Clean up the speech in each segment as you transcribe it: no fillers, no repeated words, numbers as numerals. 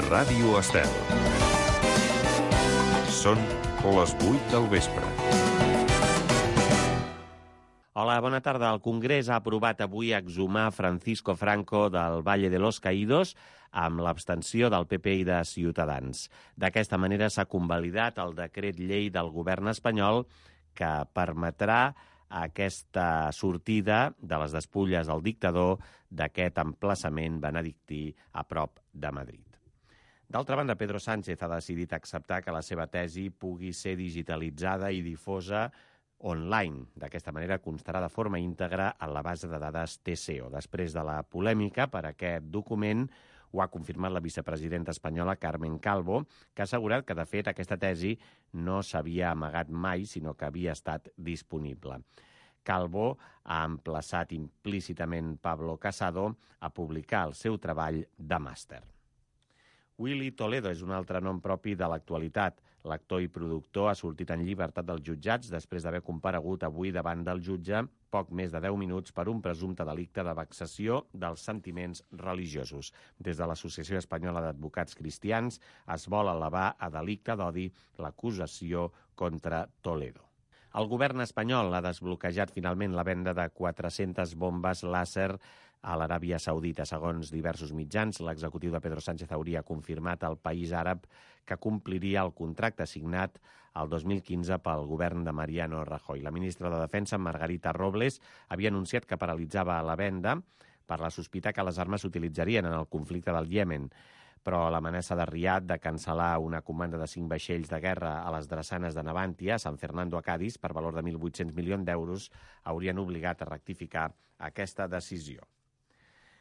Ràdio Estel. Són les 8 del vespre. Hola, bona tarda. El Congrés ha aprovat avui exhumar Francisco Franco del Valle de los Caídos amb l'abstenció del PP i de Ciutadans. D'aquesta manera s'ha convalidat el decret llei del govern espanyol que permetrà aquesta sortida de les despulles del dictador d'aquest emplaçament benedictí a prop de Madrid. D'altra banda, Pedro Sánchez ha decidit acceptar que la seva tesi pugui ser digitalitzada i difosa online. D'aquesta manera constarà de forma íntegra en la base de dades TSEO. Després de la polèmica per aquest document, ho ha confirmat la vicepresidenta espanyola Carmen Calvo, que ha assegurat que, de fet, aquesta tesi no s'havia amagat mai, sinó que havia estat disponible. Calvo ha emplaçat implícitament Pablo Casado a publicar el seu treball de màster. Willy Toledo és un altre nom propi de l'actualitat. L'actor i productor ha sortit en llibertat dels jutjats després d'haver comparegut avui davant del jutge poc més de 10 minuts per un presumpte delicte de vexació dels sentiments religiosos. Des de l'Associació Espanyola d'Advocats Cristians es vol elevar a delicte d'odi l'acusació contra Toledo. El govern espanyol ha desbloquejat finalment la venda de 400 bombes làser a l'Aràbia Saudita. Segons diversos mitjans, l'executiu de Pedro Sánchez hauria confirmat al país àrab que compliria el contracte signat el 2015 pel govern de Mariano Rajoy. La ministra de Defensa, Margarita Robles, havia anunciat que paralitzava la venda per la sospita que les armes s'utilitzarien en el conflicte del Iemen, però l'amenaça de Riad de cancel·lar una comanda de 5 vaixells de guerra a les drassanes de Navantia, a San Fernando a Cádiz, per valor de 1.800 milions d'euros, haurien obligat a rectificar aquesta decisió.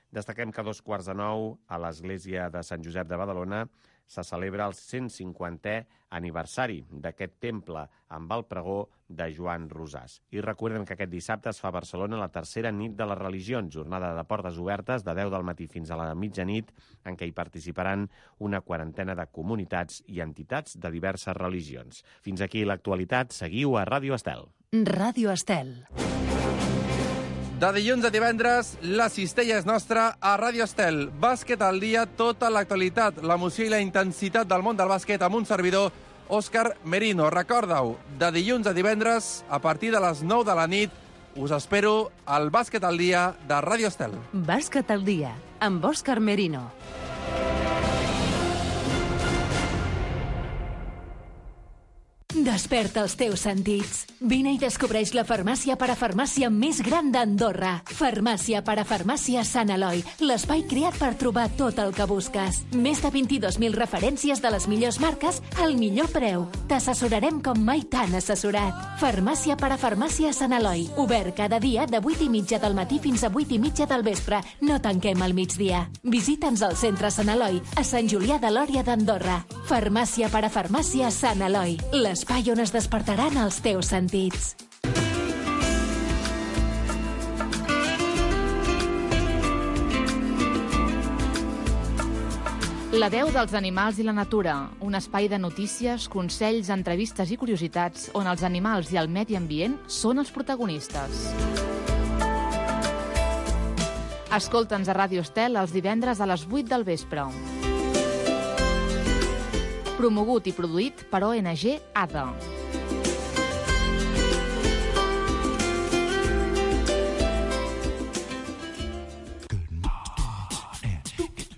Destaquem que a 8:15 a l'església de Sant Josep de Badalona se celebra el 150è aniversari d'aquest temple amb el pregó de Joan Rosàs. I recordem que aquest dissabte es fa a Barcelona la tercera nit de les religions, jornada de portes obertes de 10 del matí fins a la mitjanit, en què hi participaran una quarantena de comunitats i entitats de diverses religions. Fins aquí l'actualitat. Seguiu a Ràdio Estel. Ràdio Estel. De dilluns a divendres, la cistella és nostra a Ràdio Estel. Bàsquet al dia, tota l'actualitat, l'emoció i la intensitat del món del bàsquet amb un servidor, Òscar Merino. Recorda-ho, de dilluns a divendres, a partir de les 9 de la nit, us espero al Bàsquet al dia de Ràdio Estel. Bàsquet al dia, amb Òscar Merino. Desperta els teus sentits. Vine i descobreix la farmàcia parafarmàcia més gran d'Andorra. Farmàcia parafarmàcia Sant Eloi, l'espai creat per trobar tot el que busques. Més de 22.000 referències de les millors marques al millor preu. T'assessorarem com mai t'han assessorat. Farmàcia parafarmàcia Sant Eloi, obert cada dia de 8:30 del matí fins a 8:30 del vespre. No tanquem al migdia. Visita'ns al centre Sant Eloi, a Sant Julià de Lòria d'Andorra. Farmàcia parafarmàcia Sant Eloi, l'espai on es despertaran els teus sentits. La veu dels animals i la natura, un espai de notícies, consells, entrevistes i curiositats on els animals i el medi ambient són els protagonistes. Escolta'ns a Ràdio Estel els divendres a les 8 del vespre. Promogut i produït per ONG ADA.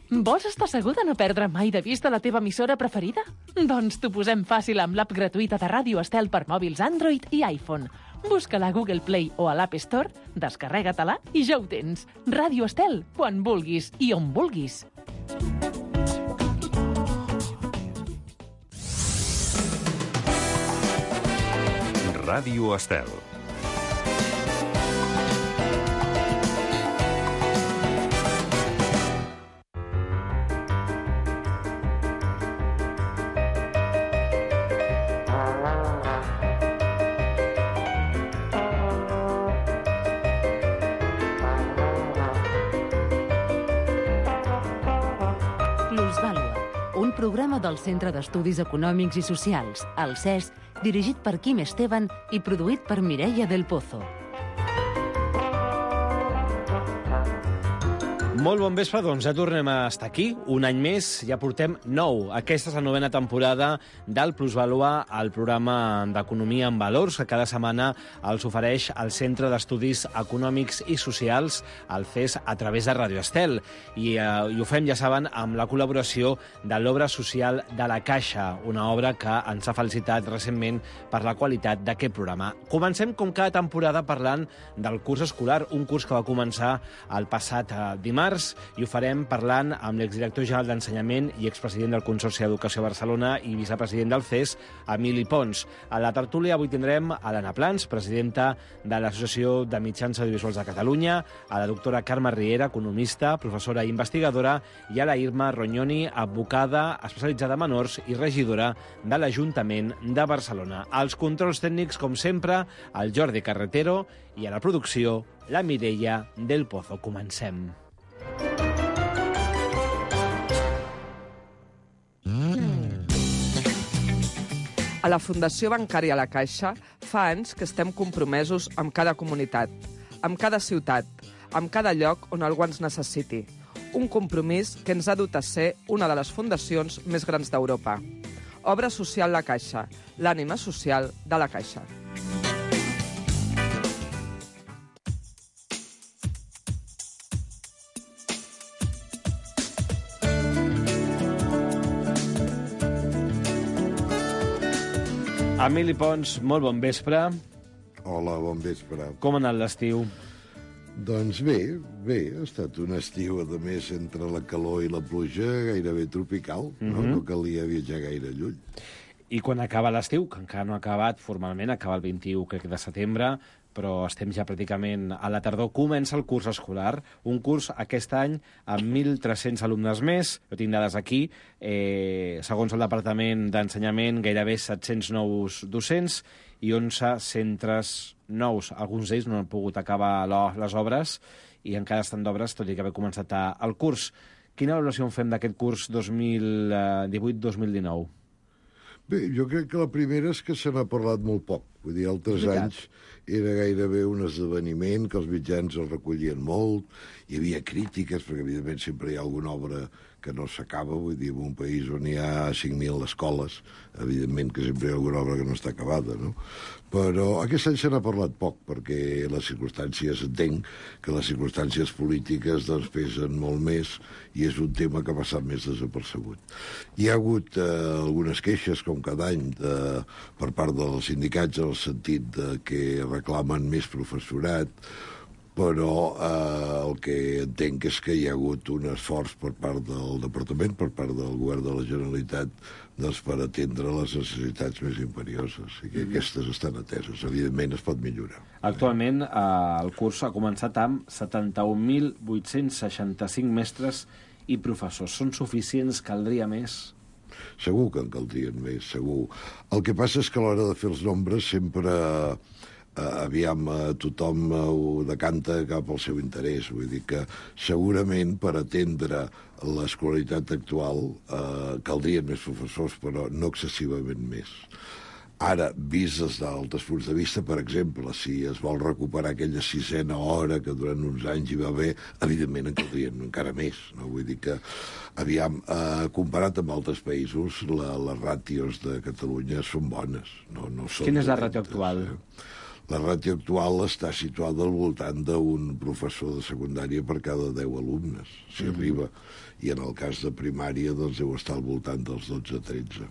Vols estar segur de no perdre mai de vista la teva emissora preferida? Doncs t'ho posem fàcil amb l'app gratuïta de Ràdio Estel per mòbils Android i iPhone. Busca-la a Google Play o a l'App Store, descarrega-te-la i ja ho tens. Ràdio Estel, quan vulguis i on vulguis. Ràdio Estel. Un programa del Centre d'Estudis Econòmics i Socials, el CES, dirigit per Quim Esteban i produït per Mireia del Pozo. Molt bon vespre, doncs ja tornem a estar aquí, un any més, ja portem 9. Aquesta és la 9ª temporada del Plusvalua, el programa d'Economia en Valors, que cada setmana els ofereix el Centre d'Estudis Econòmics i Socials, el CES, a través de Radio Estel. I ho fem, ja saben, amb la col·laboració de l'obra social de la Caixa, una obra que ens ha felicitat recentment per la qualitat d'aquest programa. Comencem, com cada temporada, parlant del curs escolar, un curs que va començar el passat dimarts, i ho farem parlant amb l'exdirector general d'Ensenyament i expresident del Consorci d'Educació a Barcelona i vicepresident del CES, Emili Pons. A la tertúlia avui tindrem a l'Anna Plans, presidenta de l'Associació de Mitjans Audiovisuals de Catalunya, a la doctora Carme Riera, economista, professora i investigadora, i a la Irma Rognoni, advocada especialitzada en menors i regidora de l'Ajuntament de Barcelona. Als controls tècnics, com sempre, el Jordi Carretero, i a la producció, la Mireia del Pozo. Comencem. A la Fundació Bancària La Caixa fa anys que estem compromesos amb cada comunitat, amb cada ciutat, amb cada lloc on algú ens necessiti. Un compromís que ens ha dut a ser una de les fundacions més grans d'Europa. Obra Social La Caixa, l'ànima social de la Caixa. Emili Pons, molt bon vespre. Hola, bon vespre. Com ha anat l'estiu? Doncs bé, ha estat un estiu, a més, entre la calor i la pluja, gairebé tropical. No calia viatjar gaire lluny. I quan acaba l'estiu, que encara no ha acabat formalment, acaba el 21, crec, de setembre, però estem ja pràcticament a la tardor, comença el curs escolar. Un curs aquest any amb 1.300 alumnes més, jo tinc dades aquí, segons el Departament d'Ensenyament, gairebé 700 nous docents i 11 centres nous. Alguns d'ells no han pogut acabar les obres i encara estan d'obres, tot i que haver començat el curs. Quina valoració en fem d'aquest curs 2018-2019? Bé, jo crec que la primera és que se n'ha parlat molt poc. Vull dir, altres anys era gairebé un esdeveniment, que els mitjans el recollien molt, hi havia crítiques, perquè evidentment sempre hi ha alguna obra que no s'acaba, vull dir, en un país on hi ha 5.000 escoles, evidentment que sempre hi ha alguna obra que no està acabada, no? Però aquest any se n'ha parlat poc, perquè les circumstàncies, entenc que les circumstàncies polítiques doncs pesen molt més i és un tema que ha passat més desapercebut. Hi ha hagut algunes queixes, com cada any, per part dels sindicats, en el sentit de que reclamen més professorat, però el que entenc és que hi ha hagut un esforç per part del Departament, per part del Govern de la Generalitat, doncs, per atendre les necessitats més imperioses, i que aquestes estan ateses. Evidentment es pot millorar. Actualment el curs ha començat amb 71.865 mestres i professors. Són suficients? Caldria més? Segur que en caldrien més, segur. El que passa és que a l'hora de fer els nombres sempre tothom ho decanta cap al seu interès. Vull dir que segurament per atendre l'escolaritat actual caldrien més professors, però no excessivament més. Ara, vist des d'altres punts de vista, per exemple, si es vol recuperar aquella 6a hora que durant uns anys hi va haver, evidentment en caldrien encara més. No? Vull dir que, comparat amb altres països, les ràtios de Catalunya són bones. No són Quina és la ràtio actual? La ràtio actual està situada al voltant d'un professor de secundària per cada 10 alumnes, si arriba. I en el cas de primària doncs deu estar al voltant dels 12-13.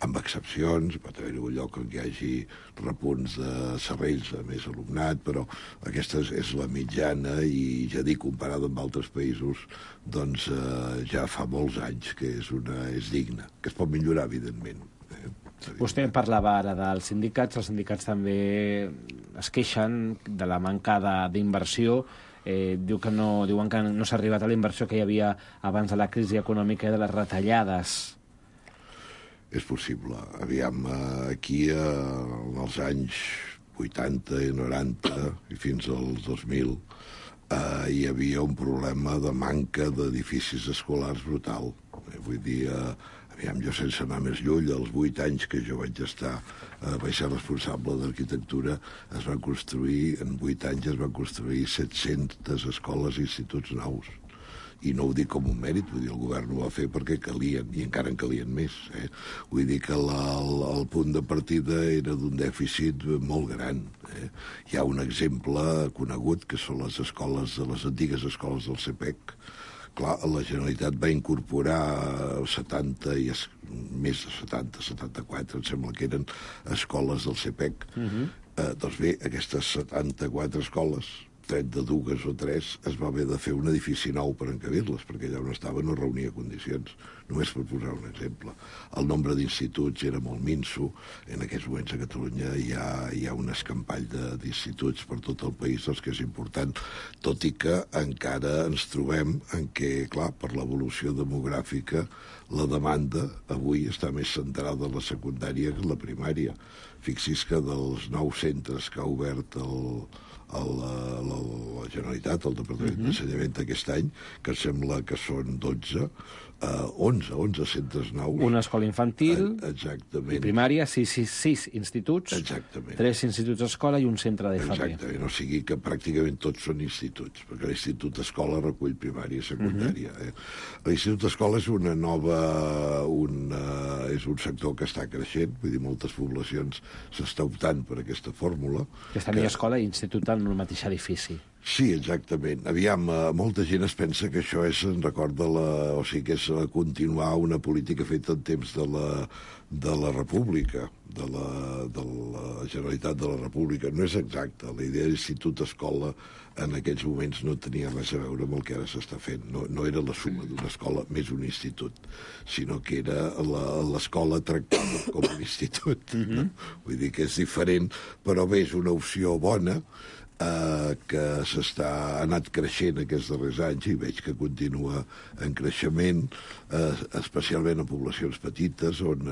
Amb excepcions, pot haver-hi un lloc on hi hagi repunts de serrells de més alumnat, però aquesta és la mitjana i ja dic, comparada amb altres països, doncs ja fa molts anys que és digna, que es pot millorar, evidentment. Vostè parlava ara dels sindicats. Els sindicats també es queixen de la manca d'inversió. Diuen que no s'ha arribat a la inversió que hi havia abans de la crisi econòmica i de les retallades. És possible. Aquí en els anys 80 i 90 i fins als 2000 hi havia un problema de manca d'edificis escolars brutal. Vull dir, jo sense anar més lluny, als 8 anys que jo vaig ser responsable d'arquitectura, en 8 anys es van construir 700 escoles i instituts nous. I no ho dic com un mèrit, vull dir, el govern ho va fer perquè calien, i encara en calien més. Vull dir que el punt de partida era d'un dèficit molt gran. Hi ha un exemple conegut, que són les antigues escoles del CPEC. Clar, la Generalitat va incorporar 70 i més de 70, 74, em sembla que eren escoles del CPEC. Doncs bé, aquestes 74 escoles, 32 o 3, es va haver de fer un edifici nou per encabir-les, perquè allà on estava no reunia condicions, només per posar un exemple. El nombre d'instituts era molt minso. En aquests moments a Catalunya hi ha un escampall d'instituts per tot el país, doncs que és important, tot i que encara ens trobem en què, clar, per l'evolució demogràfica, la demanda avui està més centrada en la secundària que en la primària. Fixi's que dels 9 centres que ha obert la Generalitat, el Departament d'Ensenyament aquest any, que sembla que són 11 centres nous. Una escola infantil, exactament. I primària, 6 instituts, exactament. 3 instituts d'escola i un centre de FP. Exactament, o sigui que pràcticament tots són instituts, perquè l'institut escola recull primària i secundària. L'institut escola és és un sector que està creixent, vull dir, moltes poblacions s'està optant per aquesta fórmula. Que està a escola i institut en un mateix edifici. Sí, exactament. Aviam, molta gent es pensa que això és, o sigui, que és continuar una política feta en temps de la República, de la Generalitat de la República. No és exacte. La idea d'institut-escola en aquells moments no tenia res a veure amb el que ara s'està fent. No era la suma d'una escola més un institut, sinó que era l'escola tractada com un institut. Vull dir que és diferent, però bé, és una opció bona, que ha anat creixent aquests darrers anys i veig que continua en creixement, especialment en poblacions petites on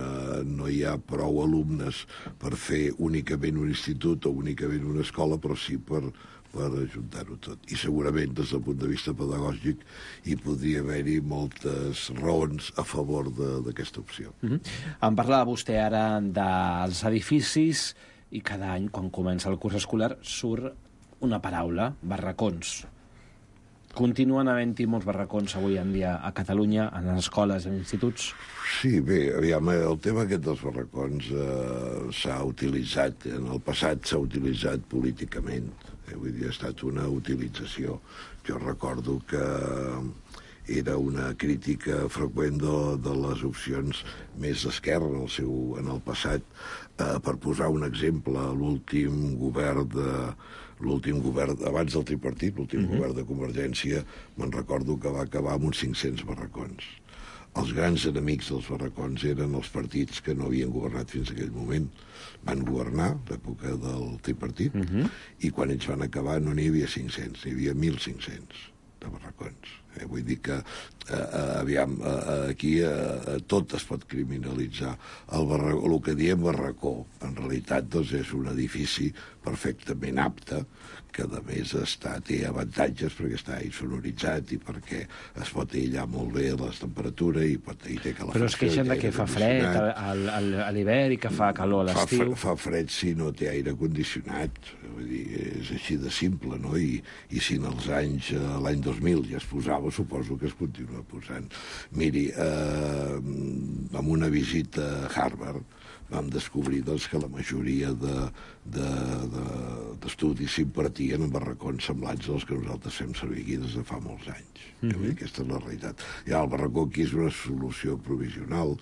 no hi ha prou alumnes per fer únicament un institut o únicament una escola, però sí per ajuntar-ho tot. I segurament, des del punt de vista pedagògic, hi podria haver-hi moltes raons a favor d'aquesta opció. Em parlava vostè ara dels edificis i cada any, quan comença el curs escolar, surt una paraula, barracons. Continuen havent-hi molts barracons avui en dia a Catalunya, en les escoles, en instituts? Sí, bé, aviam, el tema aquest dels barracons s'ha utilitzat, en el passat s'ha utilitzat políticament. Vull dir, ha estat una utilització. Jo recordo que era una crítica freqüent de les opcions més d'esquerra en el passat. Per posar un exemple, l'últim govern abans del tripartit, l'últim govern de Convergència, me'n recordo que va acabar amb uns 500 barracons. Els grans enemics dels barracons eren els partits que no havien governat fins a aquell moment. Van governar, l'època del tripartit, i quan ells van acabar no n'hi havia 500, n'hi havia 1.500 de barracons. Vull dir que, aviam, aquí tot es pot criminalitzar. El que diem barracó, en realitat, doncs, és un edifici perfectament apte, que a més té avantatges perquè està insonoritzat i perquè es pot aïllar molt bé la temperatura i té calefacció. Però es queixen que fa fred a l'hivern i que fa calor a l'estiu. Fa fred si no té aire condicionat. Vull dir, és així de simple, no? I si en els anys, l'any 2000 ja es posava, suposo que es continua posant. Miri, amb una visita a Harvard vam descobrir que la majoria d'estudis s'impartien en barracons semblants als que nosaltres fem servir aquí des de fa molts anys. Aquesta és la realitat. El barracó aquí és una solució provisional,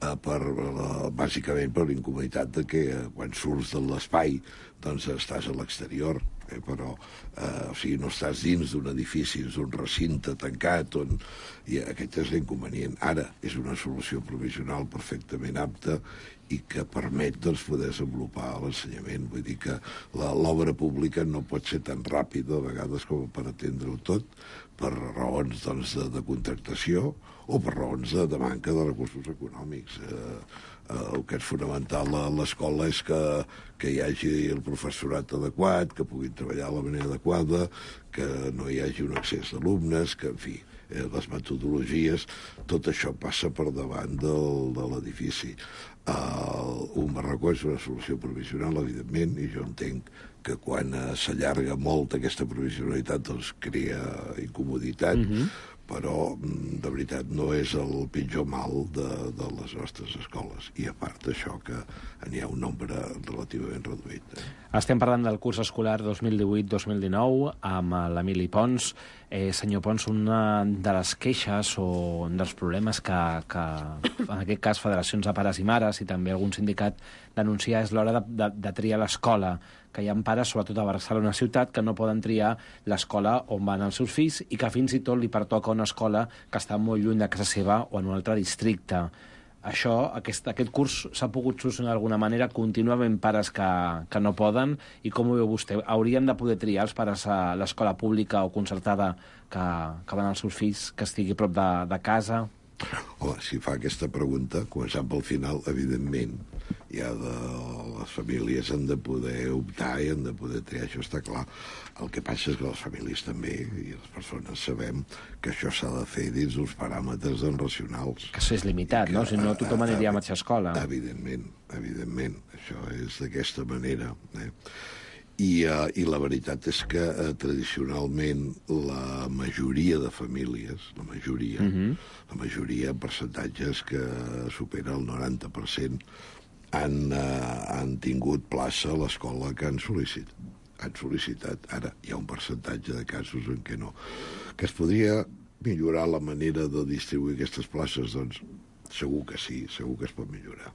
bàsicament per l'incomoditat de que quan surts de l'espai doncs estàs a l'exterior, però no estàs dins d'un edifici, dins d'un recinte tancat, i aquest és l'inconvenient. Ara és una solució provisional perfectament apta i que permet poder desenvolupar l'ensenyament. Vull dir que l'obra pública no pot ser tan ràpida a vegades com per atendre-ho tot, per raons de contractació o per raons de manca de recursos econòmics. El que és fonamental a l'escola és que hi hagi el professorat adequat, que puguin treballar de la manera adequada, que no hi hagi un excés d'alumnes, que, en fi, les metodologies, tot això passa per davant de l'edifici. Un barracó és una solució provisional, evidentment, i jo entenc que quan s'allarga molt aquesta provisionalitat doncs crea incomoditat, però de veritat no és el pitjor mal de les nostres escoles, i a part d'això que n'hi ha un nombre relativament reduït. Estem parlant del curs escolar 2018-2019 amb l'Emili Pons. Senyor Pons, una de les queixes o un dels problemes que en aquest cas federacions de pares i mares i també algun sindicat denuncia és l'hora de triar l'escola, que hi ha pares, sobretot a Barcelona ciutat, que no poden triar l'escola on van els seus fills i que fins i tot li pertoca una escola que està molt lluny de casa seva o en un altre districte. Això, aquest curs s'ha pogut solucionar d'alguna manera? Continua havent pares que no poden? I com ho veu vostè? Haurien de poder triar els pares a l'escola pública o concertada que van els seus fills, que estigui a prop de casa? Home, si fa aquesta pregunta, començant pel final, evidentment, les famílies han de poder optar i han de poder triar, això està clar. El que passa és que les famílies també, i les persones sabem que això s'ha de fer dins d'uns paràmetres racionals. Que això és limitat, no? Si no, tothom aniria a mateixa escola. Evidentment, això és d'aquesta manera. I la veritat és que tradicionalment la majoria de famílies, la majoria en percentatges que supera el 90%, han tingut plaça a l'escola que han sol·licitat. Ara, hi ha un percentatge de casos en què no. Que es podria millorar la manera de distribuir aquestes places? Doncs segur que sí, segur que es pot millorar.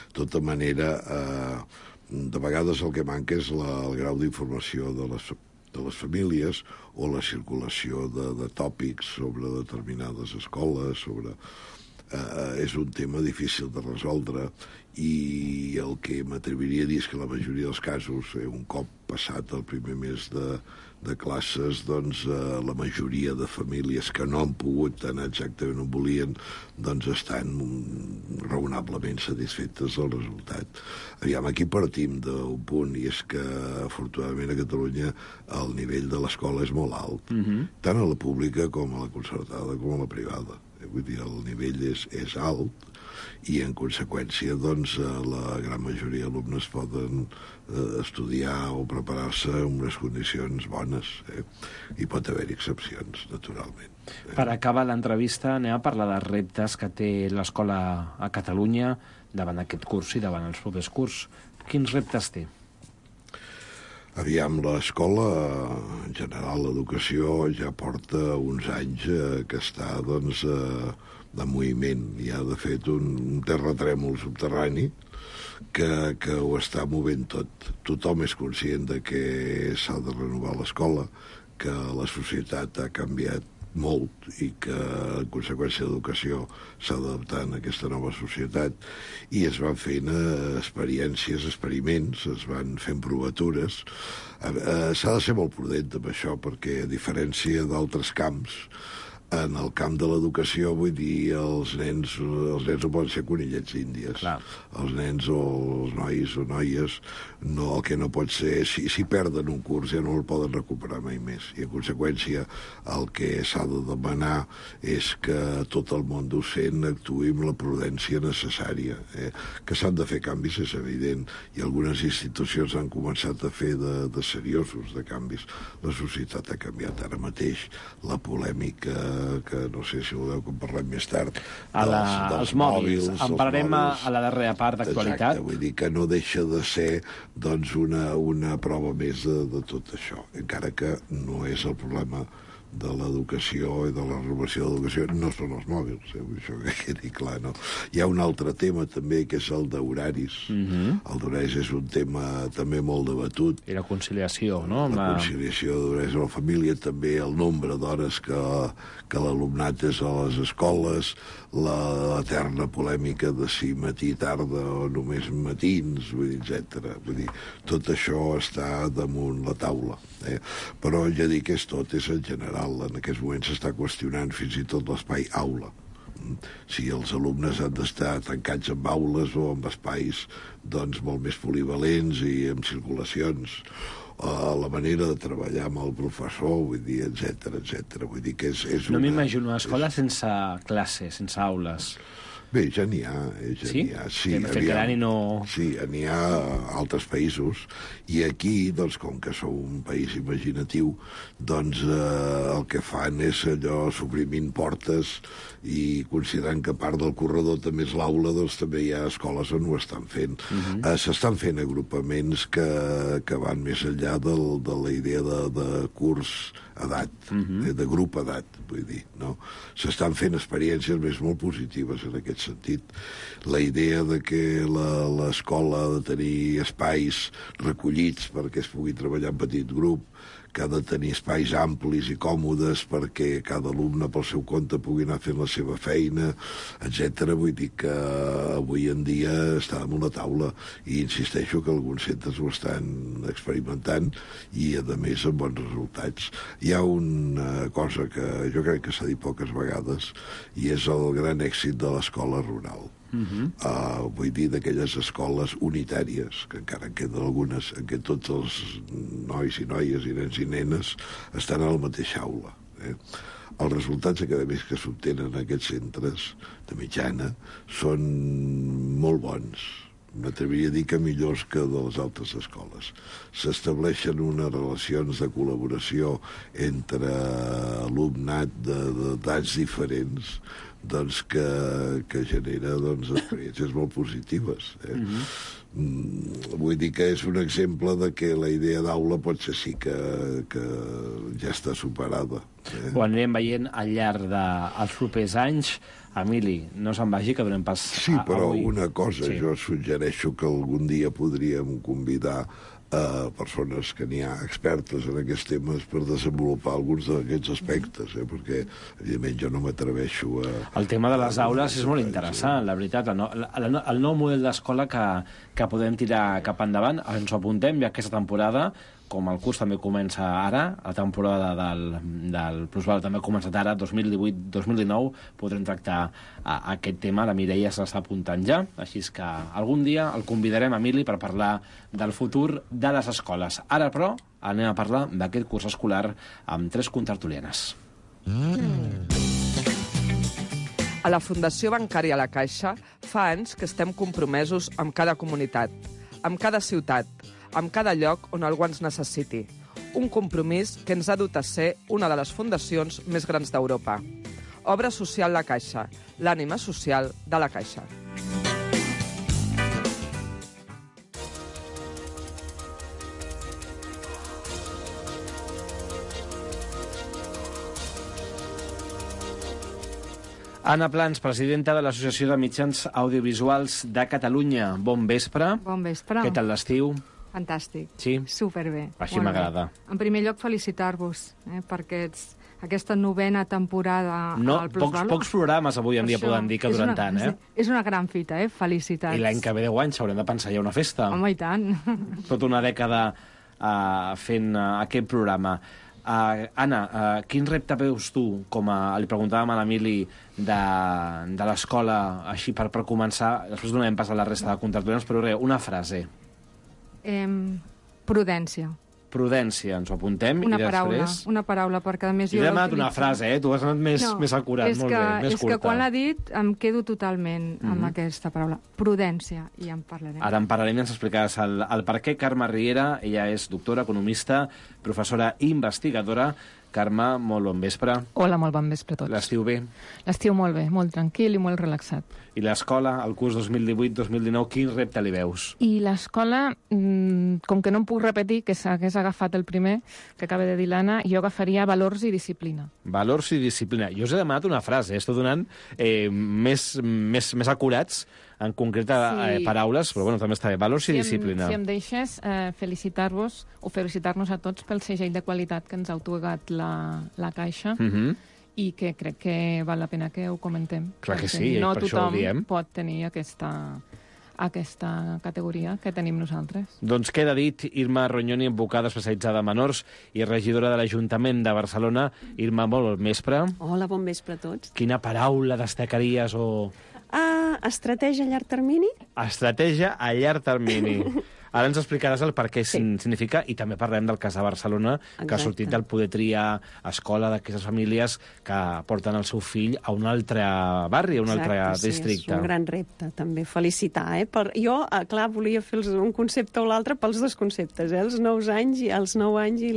De tota manera, de vegades el que manca és el grau d'informació de les famílies o la circulació de tòpics sobre determinades escoles, és un tema difícil de resoldre, i el que m'atreviria a dir és que la majoria dels casos, un cop passat el primer mes de classes, doncs la majoria de famílies que no han pogut anar exactament on volien, doncs estan raonablement satisfetes del resultat. Aviam, aquí partim d'un punt, i és que afortunadament a Catalunya el nivell de l'escola és molt alt, tant a la pública com a la concertada com a la privada. Vull dir, el nivell és alt, i en conseqüència doncs la gran majoria d'alumnes poden estudiar o preparar-se en unes condicions bones. Hi pot haver excepcions, naturalment. Per acabar l'entrevista anem a parlar dels reptes que té l'escola a Catalunya davant aquest curs i davant els propers curs. Quins reptes té? Aviam, l'escola, en general, l'educació ja porta uns anys que està, doncs, de moviment. Hi ha, de fet, un terratrèmol subterrani que ho està movent tot. Tothom és conscient de que s'ha de renovar l'escola, que la societat ha canviat molt i que, en conseqüència d'educació, s'ha d'adaptar a aquesta nova societat, i es van fent experiències, experiments, es van fent provatures. S'ha de ser molt prudent amb això, perquè, a diferència d'altres camps, en el camp de l'educació, vull dir, els nens no poden ser conillets índies. Clar. Els nens o els nois o noies, el que no pot ser, si perden un curs ja no el poden recuperar mai més. I en conseqüència el que s'ha de demanar és que tot el món docent actuï amb la prudència necessària. Que s'han de fer canvis, és evident, i algunes institucions han començat a fer de seriosos de canvis. La societat ha canviat. Ara mateix la polèmica, que no sé si voleu que en parlem més tard, dels mòbils. En parlarem a la darrera part d'actualitat. Exacte, vull dir que no deixa de ser doncs una prova més de tot això, encara que no és el problema de l'educació i de la renovació de l'educació, no són els mòbils, això que quedi clar, no? Hi ha un altre tema també, que és el d'horaris. El d'horaris és un tema també molt debatut. I la conciliació, no? La conciliació d'horaris a la família, també el nombre d'hores que l'alumnat és a les escoles, l'eterna polèmica de si matí, tarda o només matins, etc. Vull dir, tot això està damunt la taula. Però ja dic que tot és en general. En aquests moments s'està qüestionant fins i tot l'espai aula. Si els alumnes han d'estar tancats en aules o en espais doncs molt més polivalents i amb circulacions, la manera de treballar amb el professor, vull dir, etc. Vull dir que és no m'imagino una escola sense classe, sense aules. Bé, ja n'hi ha. Sí? Sí, de fet, que l'any no... Sí, n'hi ha a altres països, i aquí, doncs, com que sou un país imaginatiu, doncs el que fan és allò suprimint portes i considerant que part del corredor també és l'aula, doncs també hi ha escoles on ho estan fent. S'estan fent agrupaments que van més enllà de la idea de curs edat, de grup edat, vull dir, no? S'estan fent experiències molt positives en aquest sentit. La idea de que l'escola ha de tenir espais recollits perquè es pugui treballar en petit grup, que ha de tenir espais amplis i còmodes perquè cada alumne pel seu compte pugui anar fent la seva feina, etc. Vull dir que avui en dia està damunt la taula, i insisteixo que alguns centres ho estan experimentant i, a més, amb bons resultats. Hi ha una cosa que jo crec que s'ha dit poques vegades, i és el gran èxit de l'escola rural. Vull dir, d'aquelles escoles unitàries, que encara en queden algunes, en què tots els nois i noies i nens i nenes estan a la mateixa aula. Els resultats acadèmics que s'obtenen en aquests centres de mitjana són molt bons. M'atreviria a dir que millors que de les altres escoles. S'estableixen unes relacions de col·laboració entre alumnat d'edats diferents, doncs que genera experiències molt positives. Vull dir que és un exemple de que la idea d'aula potser sí que ja està superada. Ho anirem veient al llarg dels propers anys. Emili, no se'n vagi, que donem pas Sí, però avui. una cosa, jo suggereixo que algun dia podríem convidar persones que n'hi ha expertes en aquests temes per desenvolupar alguns d'aquests aspectes, perquè, evidentment, jo no m'atreveixo a... El tema de les aules és molt interessant, la veritat. El nou model d'escola que podem tirar cap endavant, ens ho apuntem, i aquesta temporada, com el curs també comença ara, la temporada del Plusval també ha començat ara, 2018-2019, podrem tractar aquest tema. La Mireia se l'està apuntant ja, així que algun dia el convidarem, Emili, per parlar del futur de les escoles. Ara, però, anem a parlar d'aquest curs escolar amb 3 contertulianes. A la Fundació Bancària La Caixa fa anys que estem compromesos amb cada comunitat, amb cada ciutat, amb cada lloc on algú ens necessiti. Un compromís que ens ha dut a ser una de les fundacions més grans d'Europa. Obra Social La Caixa, l'ànima social de La Caixa. Anna Plans, presidenta de l'Associació de Mitjans Audiovisuals de Catalunya. Bon vespre. Bon vespre. Què tal l'estiu? Fantàstic. Sí? Superbé. Així m'agrada. En primer lloc, felicitar-vos per aquesta novena temporada al Plusvalor. Pocs programes avui en dia poden dir que duren tant, És una gran fita, Felicitats. I l'any que ve 10 anys haurem de pensar ja una festa. Home, i tant. Tota una dècada fent aquest programa. Anna, quin repte veus tu, li preguntàvem a l'Emili, de l'escola, així per començar, després donem pas a la resta de contertulians, però una frase. Prudència. Prudència, ens ho apuntem, i després... Una paraula, perquè a més jo... I demanat una frase, tu has anat més acurat, molt bé, més curta. És que quan l'ha dit em quedo totalment amb aquesta paraula. Prudència, i en parlarem. Ara en parlarem i ens explicaràs el per què. Carme Riera, ella és doctora, economista, professora i investigadora. Carme, molt bon vespre. Hola, molt bon vespre a tots. L'estiu bé? L'estiu molt bé, molt tranquil i molt relaxat. I l'escola, el curs 2018-2019, quin repte li veus? I l'escola, com que no em puc repetir, que s'hagués agafat el primer, que acaba de dir l'Anna, jo agafaria valors i disciplina. Valors i disciplina. Jo us he demanat una frase, estic donant més acurats, en concret paraules, però bueno, també està bé. Valors i disciplina. Si em deixes felicitar-vos o felicitar-nos a tots pel segell de qualitat que ens ha atorgat la Caixa i que crec que val la pena que ho comentem. Clar que sí, no per això ho diem. No tothom pot tenir aquesta categoria que tenim nosaltres. Doncs queda dit. Irma Rognoni, advocada especialitzada en menors i regidora de l'Ajuntament de Barcelona. Irma, molt bon vespre. Hola, bon vespre a tots. Quina paraula destacaries o... Estratègia a llarg termini? Estratègia a llarg termini. Ara ens explicaràs el per què significa, i també parlem del cas de Barcelona, que ha sortit del poder triar escola d'aquestes famílies que porten el seu fill a un altre barri, a un altre districte. És un gran repte, també. Felicitar, Jo, clar, volia fer un concepte o l'altre pels dos conceptes, els 9 anys i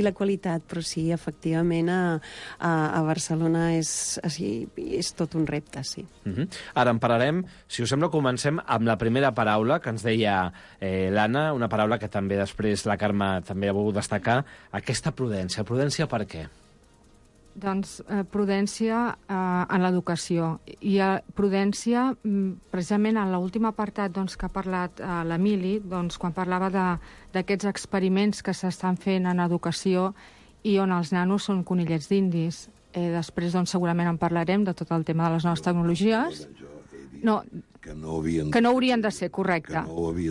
la qualitat, però sí, efectivament, a Barcelona és tot un repte, sí. Ara en parlarem. Si us sembla, comencem amb la primera paraula que ens deia l'Anna, una paraula que també després la Carme també ha volgut destacar, aquesta prudència. Prudència per què? Doncs prudència en l'educació. I prudència, precisament en l'últim apartat que ha parlat l'Emili, quan parlava d'aquests experiments que s'estan fent en educació i on els nanos són conillets d'indis. Després, segurament en parlarem de tot el tema de les noves tecnologies. No, que no haurien de ser, correcte.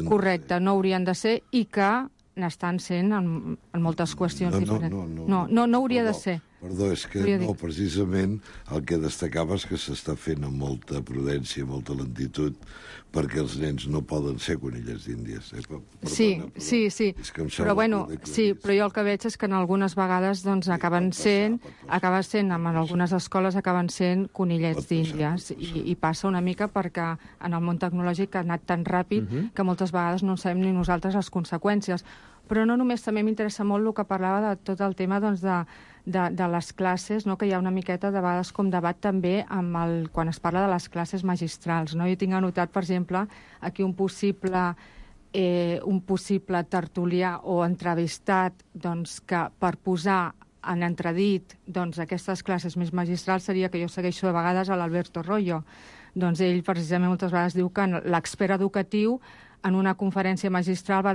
Correcte, no haurien de ser i que n'estan sent en moltes qüestions diferents. No hauria de ser. Perdó, és que no, precisament el que destacava és que s'està fent amb molta prudència, molta lentitud, perquè els nens no poden ser conillets d'Índies. Sí. Però bueno, sí, però jo el que veig és que en algunes vegades acaben sent, en algunes escoles acaben sent conillets d'Índies, i passa una mica perquè en el món tecnològic ha anat tan ràpid que moltes vegades no sabem ni nosaltres les conseqüències. Però no només, també m'interessa molt el que parlava de tot el tema de les classes, que hi ha una miqueta de vegades com debat també quan es parla de les classes magistrals. Jo tinc anotat, per exemple, aquí un possible tertulià o entrevistat que per posar en entredit aquestes classes més magistrals seria que jo segueixo de vegades a l'Alberto Royo. Ell precisament moltes vegades diu que l'expert educatiu en una conferència magistral va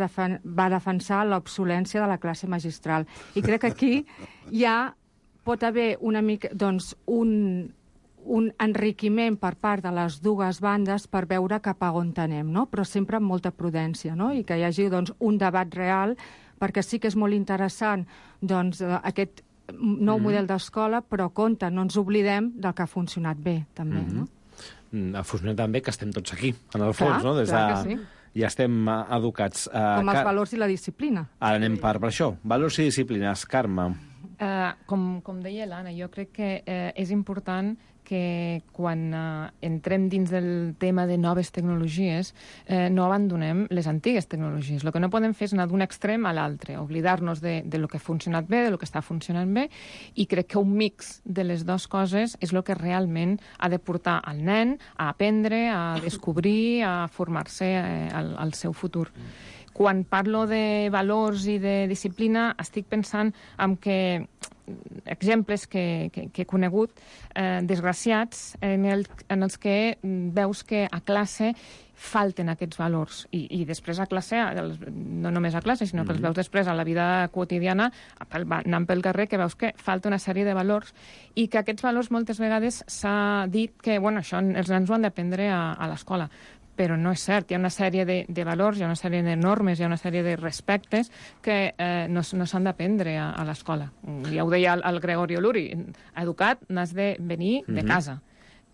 defensar l'obsolència de la classe magistral. I crec que aquí pot haver una mica un enriquiment per part de les dues bandes per veure cap a on anem, però sempre amb molta prudència, i que hi hagi un debat real, perquè sí que és molt interessant aquest nou model d'escola, però compte, no ens oblidem del que ha funcionat bé, també. Ha funcionat tan bé que estem tots aquí, en el fons, no? Clar que sí. Ja estem educats. Com els valors i la disciplina. Ara anem per això. Valors i disciplines. Carme. Com deia l'Anna, jo crec que és important que quan entrem dins del tema de noves tecnologies no abandonem les antigues tecnologies. El que no podem fer és anar d'un extrem a l'altre, oblidar-nos de lo que ha funcionat bé, de lo que està funcionant bé, i crec que un mix de les dues coses és el que realment ha de portar al nen a aprendre, a descobrir, a formar-se al seu futur. Quan parlo de valors i de disciplina, estic pensant en que exemples que he conegut, desgraciats, en els que veus que a classe falten aquests valors. I després a classe, no només a classe, sinó que els veus després a la vida quotidiana, anant pel carrer, que veus que falta una sèrie de valors i que aquests valors moltes vegades s'ha dit que això els nens ho han d'aprendre a l'escola. Però no és cert. Hi ha una sèrie de valors, hi ha una sèrie de normes, hi ha una sèrie de respectes que no s'han d'aprendre a l'escola. Ja ho deia el Gregorio Luri, educat n'has de venir de casa.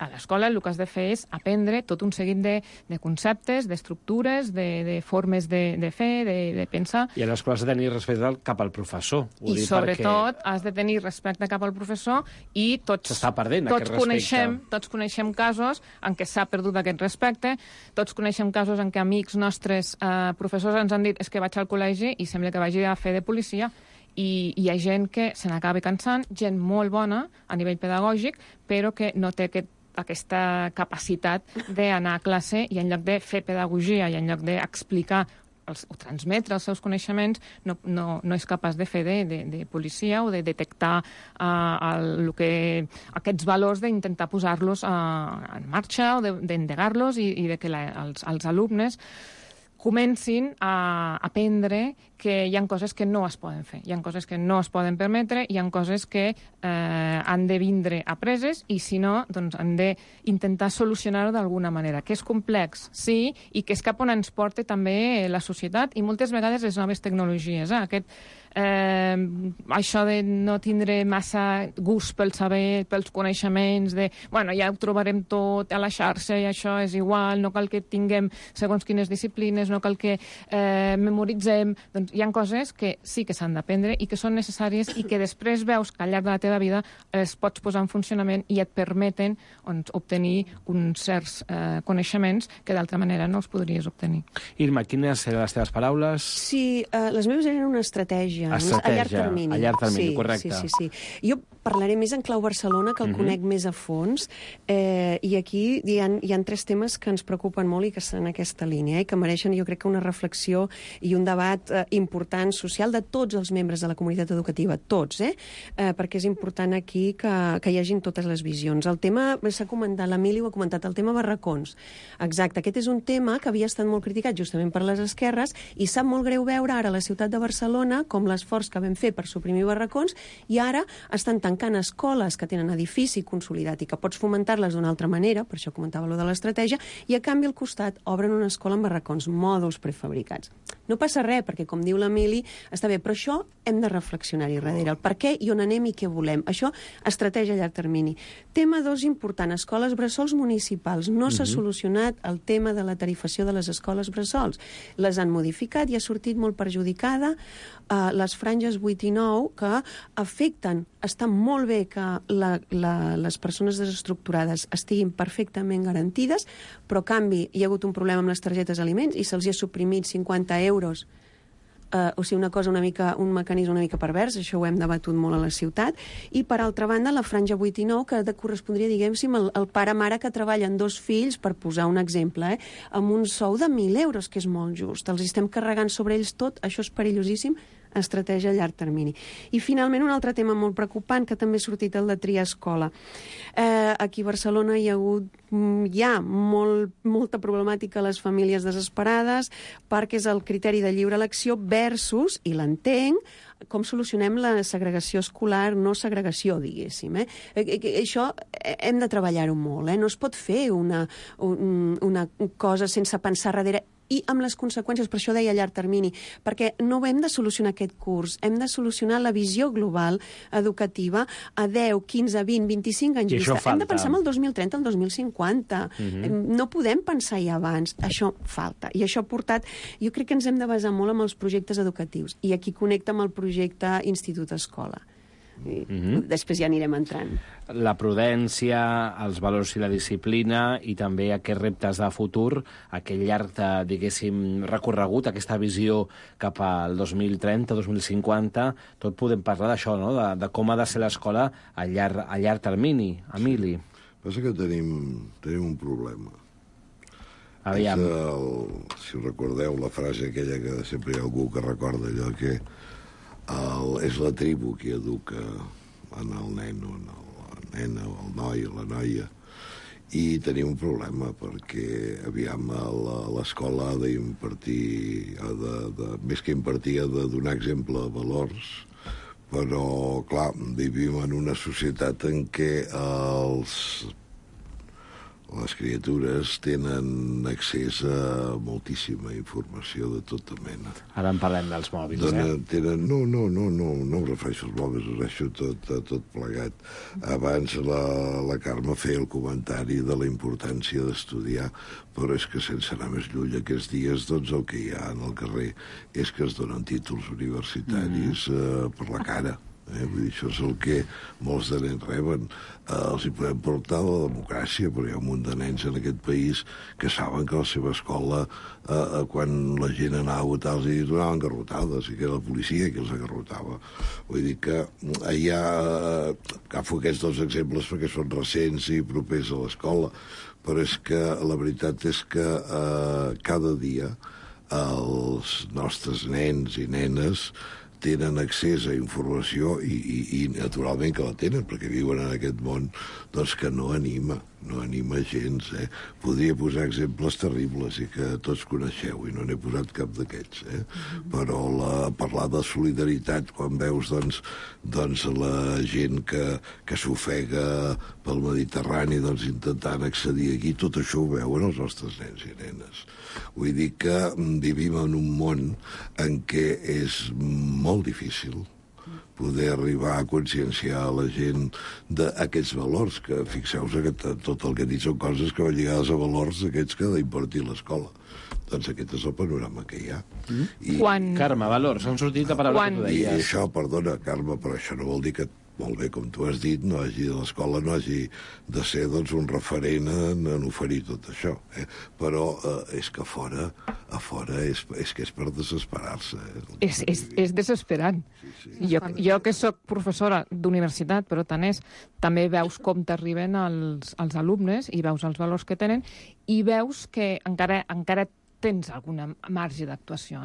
A l'escola el que has de fer és aprendre tot un seguit de conceptes, d'estructures, de formes de fer, de pensar. I a l'escola has de tenir respecte cap al professor. I sobretot has de tenir respecte cap al professor i tots coneixem casos en què s'ha perdut aquest respecte, tots coneixem casos en què amics nostres professors ens han dit que vaig al col·legi i sembla que vagi a fer de policia. I hi ha gent que se n'acaba cansant, gent molt bona a nivell pedagògic, però que no té aquesta capacitat d'anar a classe i en lloc de fer pedagogia i en lloc d'explicar o transmetre els seus coneixements, no és capaç de fer de policia o de detectar aquests valors, d'intentar posar-los en marxa o d'endegar-los i de que els alumnes comencin a aprendre que hi ha coses que no es poden fer, hi ha coses que no es poden permetre, hi ha coses que han de vindre apreses i, si no, doncs han d'intentar solucionar-ho d'alguna manera. Que és complex, sí, i que és cap on ens porta també la societat i moltes vegades les noves tecnologies. Això de no tindre massa gust pel saber, pels coneixements, ja ho trobarem tot a la xarxa i això és igual, no cal que tinguem segons quines disciplines, no cal que memoritzem. Doncs hi ha coses que sí que s'han d'aprendre i que són necessàries i que després veus que al llarg de la teva vida es pots posar en funcionament i et permeten obtenir uns certs coneixements que d'altra manera no els podries obtenir. Irma, quines eren les teves paraules? Sí, les meves eren una estratègia. A llarg termini. A llarg termini, sí, correcte. Sí. Jo parlaré més en clau Barcelona, que el conec més a fons, i aquí hi ha 3 temes que ens preocupen molt i que estan en aquesta línia, i que mereixen, jo crec, que una reflexió i un debat important social de tots els membres de la comunitat educativa, tots, perquè és important aquí que hi hagin totes les visions. El tema, s'ha comentat, l'Emili ho ha comentat, el tema barracons. Exacte, aquest és un tema que havia estat molt criticat justament per les esquerres i sap molt greu veure ara a la ciutat de Barcelona com l'esforç que vam fer per suprimir barracons i ara estan tancant escoles que tenen edifici consolidat i que pots fomentar-les d'una altra manera, per això comentava allò de l'estratègia, i a canvi al costat obren una escola amb barracons, mòduls prefabricats. No passa res, perquè com diu l'Emili, està bé, però això hem de reflexionar-hi darrere, el per què i on anem i què volem. Això, estratègia a llarg termini. Tema 2 important, escoles bressols municipals. No s'ha solucionat el tema de la tarifació de les escoles bressols. Les han modificat i ha sortit molt perjudicada les franges 8 i 9 que afecten. Està molt bé que les persones desestructurades estiguin perfectament garantides, però a canvi hi ha hagut un problema amb les targetes aliments i se'ls ha suprimit 50 euros. O sigui, un mecanisme una mica pervers, això ho hem debatut molt a la ciutat, i per altra banda la franja 8 i 9 que correspondria, diguem-ne, al pare-mare que treballen 2 fills, per posar un exemple, amb un sou de 1.000 euros, que és molt just. Els estem carregant sobre ells tot, això és perillosíssim, estratègia a llarg termini. I finalment un altre tema molt preocupant que també ha sortit, el de triar escola. Aquí a Barcelona hi ha molta problemàtica a les famílies desesperades perquè és el criteri de lliure elecció versus, i l'entenc, com solucionem la segregació escolar, no segregació, diguéssim. Això hem de treballar-ho molt. No es pot fer una cosa sense pensar darrere i amb les conseqüències, per això deia a llarg termini, perquè no hem de solucionar aquest curs, hem de solucionar la visió global educativa a 10, 15, 20, 25 anys vista. Hem de pensar en el 2030, el 2050. No podem pensar ja abans. Això falta. I això ha portat... Jo crec que ens hem de basar molt en els projectes educatius. I aquí connecta amb el projecte Institut-Escola. Després ja anirem entrant. La prudència, els valors i la disciplina i també aquests reptes de futur, aquell llarg, diguéssim, recorregut, aquesta visió cap al 2030, 2050, tot podem parlar d'això, no? De com ha de ser l'escola a llarg termini. Emili. Passa que tenim un problema. Aviam. Si recordeu la frase aquella que sempre hi ha algú que recorda allò que és la tribu qui educa en el nen o en la nena o el noi o la noia. I tenim un problema perquè, aviam, l'escola ha d'impartir, més que impartir, ha de donar exemple de valors, però, clar, vivim en una societat en què les criatures tenen accés a moltíssima informació de tota mena. Ara en parlem dels mòbils, No em refereixo als mòbils, ho refereixo tot plegat. Abans la Carme feia el comentari de la importància d'estudiar, però és que sense anar més lluny aquests dies, doncs el que hi ha en el carrer és que es donen títols universitaris per la cara. Vull dir, això és el que molts de nens reben. Els hi podem portar la democràcia, però hi ha un munt de nens en aquest país que saben que a la seva escola, quan la gent anava a votar, els hi donaven garrotades, i que era la policia qui els agarrotava. Vull dir que agafo aquests 2 exemples perquè són recents i propers a l'escola, però és que la veritat és que cada dia els nostres nens i nenes tenen accés a informació i naturalment que la tenen, perquè viuen en aquest món doncs, que no anima. no anima gens, Podria posar exemples terribles i que tots coneixeu, i no n'he posat cap d'aquests, Però parlar de solidaritat quan veus, doncs la gent que s'ofega pel Mediterrani, doncs intentant accedir aquí, tot això ho veuen els nostres nens i nenes. Vull dir que vivim en un món en què és molt difícil poder arribar a conscienciar a la gent d'aquests valors, que fixeu-vos que tot el que he dit són coses que van lligades a valors aquests que ha d'impartir l'escola. Doncs aquest és el panorama que hi ha. Carme, valors, han sortit a paraula que tu deies. I això, perdona, Carme, però això no vol dir que, molt bé, com tu has dit, l'escola no hagi de ser un referent en oferir tot això. Però és que a fora és que és per desesperar-se. És desesperant. Jo que sóc professora d'universitat, però tant és, també veus com t'arriben els alumnes i veus els valors que tenen i veus que encara tens algun marge d'actuació,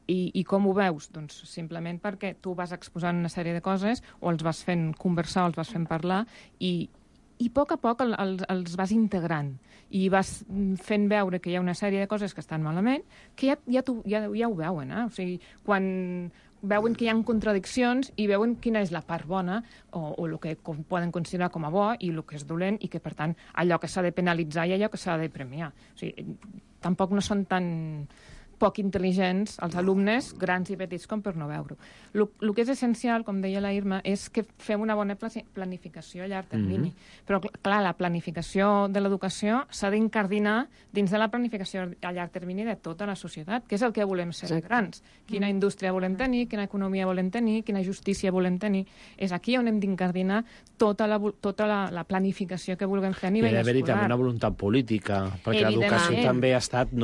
I com ho veus? Doncs simplement perquè tu vas exposant una sèrie de coses o els vas fent conversar o els vas fent parlar i a poc els vas integrant i vas fent veure que hi ha una sèrie de coses que estan malament que ja ho veuen, O sigui, quan veuen que hi ha contradiccions i veuen quina és la part bona o el que poden considerar com a bo i el que és dolent i que, per tant, allò que s'ha de penalitzar i allò que s'ha de premiar. O sigui, tampoc no són tan poc intel·ligents els alumnes, grans i petits, com per no veure-ho. El que és essencial, com deia la Irma, és que fem una bona planificació a llarg termini. Però, clar, la planificació de l'educació s'ha d'incardinar dins de la planificació a llarg termini de tota la societat, que és el que volem ser grans. Quina indústria volem tenir, quina economia volem tenir, quina justícia volem tenir. És aquí on hem d'incardinar tota la planificació que vulguem fer a nivell escolar. Hi ha d'haver-hi també una voluntat política, perquè l'educació també ha estat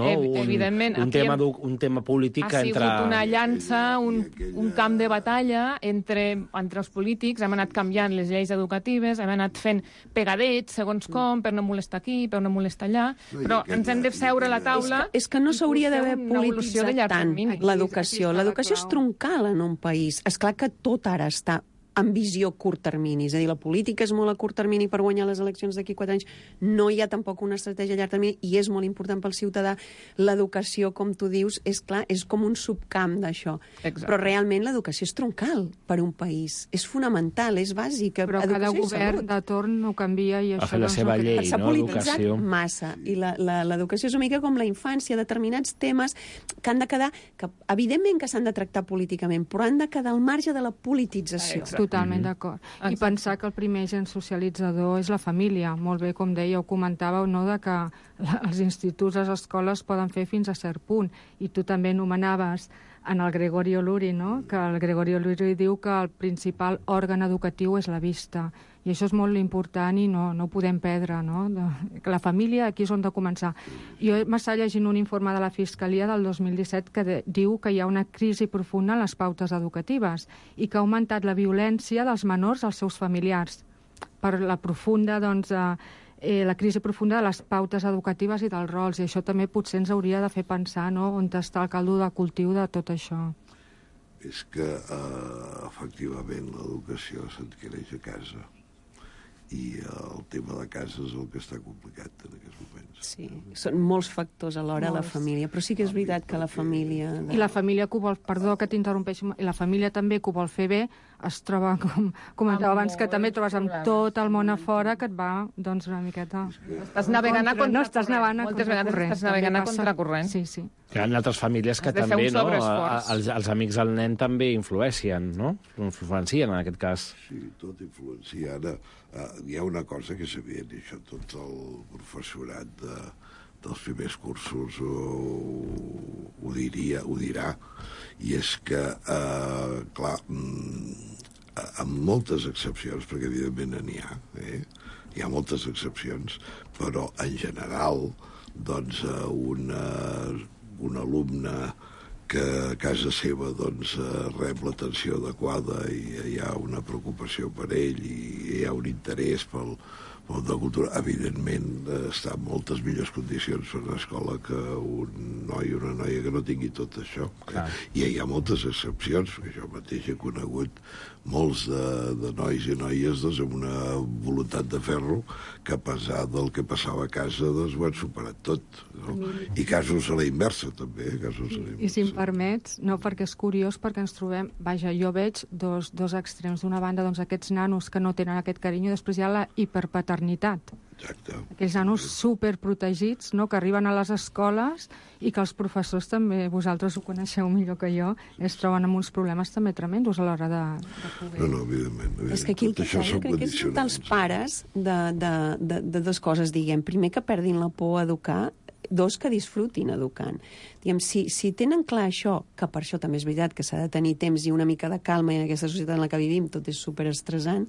un tema polític entre... Ha sigut una llança, un camp de batalla entre els polítics, hem anat canviant les lleis educatives, hem anat fent pegadets segons com, per no molestar aquí, per no molestar allà, però ens hem de seure a la taula... És que no s'hauria d'haver polititzat tant l'educació. L'educació és troncal en un país. És clar que tot ara està en visió curt termini. És a dir, la política és molt a curt termini per guanyar les eleccions d'aquí 4 anys. No hi ha tampoc una estratègia a llarg termini i és molt important pel ciutadà. L'educació, com tu dius, és clar, és com un subcamp d'això. Però realment l'educació és troncal per un país. És fonamental, és bàsica. Però cada govern de torn no canvia i això... la seva llei, s'ha polititzat massa. I l'educació és una mica com la infància, determinats temes que han de quedar... que evidentment que s'han de tractar políticament, però han de quedar al marge de la politització. Totalment d'acord. I pensar que el primer agent socialitzador és la família. Molt bé, com deia, ho comentàveu, no?, de que els instituts, les escoles poden fer fins a cert punt. I tu també anomenaves en el Gregorio Luri, no?, que el Gregorio Luri diu que el principal òrgan educatiu és la vista. I això és molt important i no ho podem perdre, no? Que la família aquí és on de començar. Jo m'estava llegint un informe de la Fiscalia del 2017 que diu que hi ha una crisi profunda en les pautes educatives i que ha augmentat la violència dels menors als seus familiars per la profunda, la crisi profunda de les pautes educatives i dels rols. I això també potser ens hauria de fer pensar, no?, on està el caldo de cultiu de tot això. És que, efectivament, l'educació s'adquireix a casa. I el tema de casa és el que està complicat en aquests moments. Sí, són molts factors alhora a la família, però sí que és veritat que la família... I la família que ho vol, perdó que t'interrompeixi, i la família també que ho vol fer bé, es troba, com comentava abans, que també trobes amb tot el món a fora que et va, doncs, una miqueta... Estàs navegant a contracorrent. No, estàs navegant a contracorrent. Moltes vegades estàs navegant a contracorrent. Sí, sí. Hi ha altres famílies que també, no? Els amics del nen també influeixen, no? Influencien, en aquest cas. Sí, tot influencia. Ara, hi ha una cosa que és evident, i això tot el professorat dels primers cursos ho dirà, i és que, clar, amb moltes excepcions, perquè evidentment n'hi ha, hi ha moltes excepcions, però en general, doncs, un alumne que a casa seva doncs, rep l'atenció adequada i hi ha una preocupació per ell i hi ha un interès pel món de cultura, evidentment, està en moltes millors condicions per una escola que un noi o una noia que no tingui tot això. I hi ha moltes excepcions, perquè jo mateix he conegut molts de nois i noies doncs, amb una voluntat de fer-lo que, a pesar del que passava a casa, doncs, ho han superat tot. No? I casos a la inversa, també. I si em permets, no, perquè és curiós, perquè ens trobem... Vaja, jo veig dos extrems. D'una banda, doncs, aquests nanos que no tenen aquest carinyo, després hi ha la hiperpaternitat. Exacte. Aquells nanos superprotegits, no?, que arriben a les escoles i que els professors també, vosaltres ho coneixeu millor que jo, es troben amb uns problemes també tremendos a l'hora de poder... No, evidentment. És que aquí el que jo crec que és un dels pares de dues coses, diguem. Primer, que perdin la por a educar, dos, que disfrutin educant. Diguem, si tenen clar això, que per això també és veritat que s'ha de tenir temps i una mica de calma, i en aquesta societat en la que vivim tot és superestressant,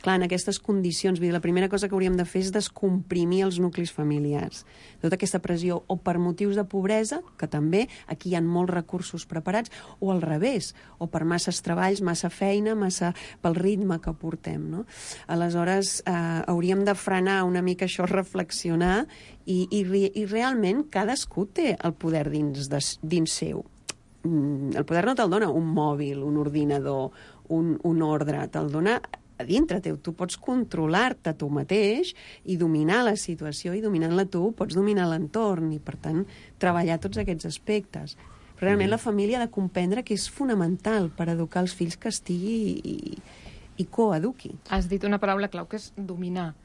clar, en aquestes condicions, la primera cosa que hauríem de fer és descomprimir els nuclis familiars. Tota aquesta pressió, o per motius de pobresa, que també aquí hi ha molts recursos preparats, o al revés, o per masses treballs, massa feina, massa pel ritme que portem, no? Aleshores, hauríem de frenar una mica això, reflexionar, i realment cadascú té el poder dins seu. El poder no te'l dona un mòbil, un ordinador, un ordre, te'l dona a dintre teu. Tu pots controlar-te tu mateix i dominar la situació, i dominant-la tu pots dominar l'entorn i, per tant, treballar tots aquests aspectes. Però realment la família ha de comprendre que és fonamental per educar els fills que estigui i coeduqui. Has dit una paraula clau, que és dominar.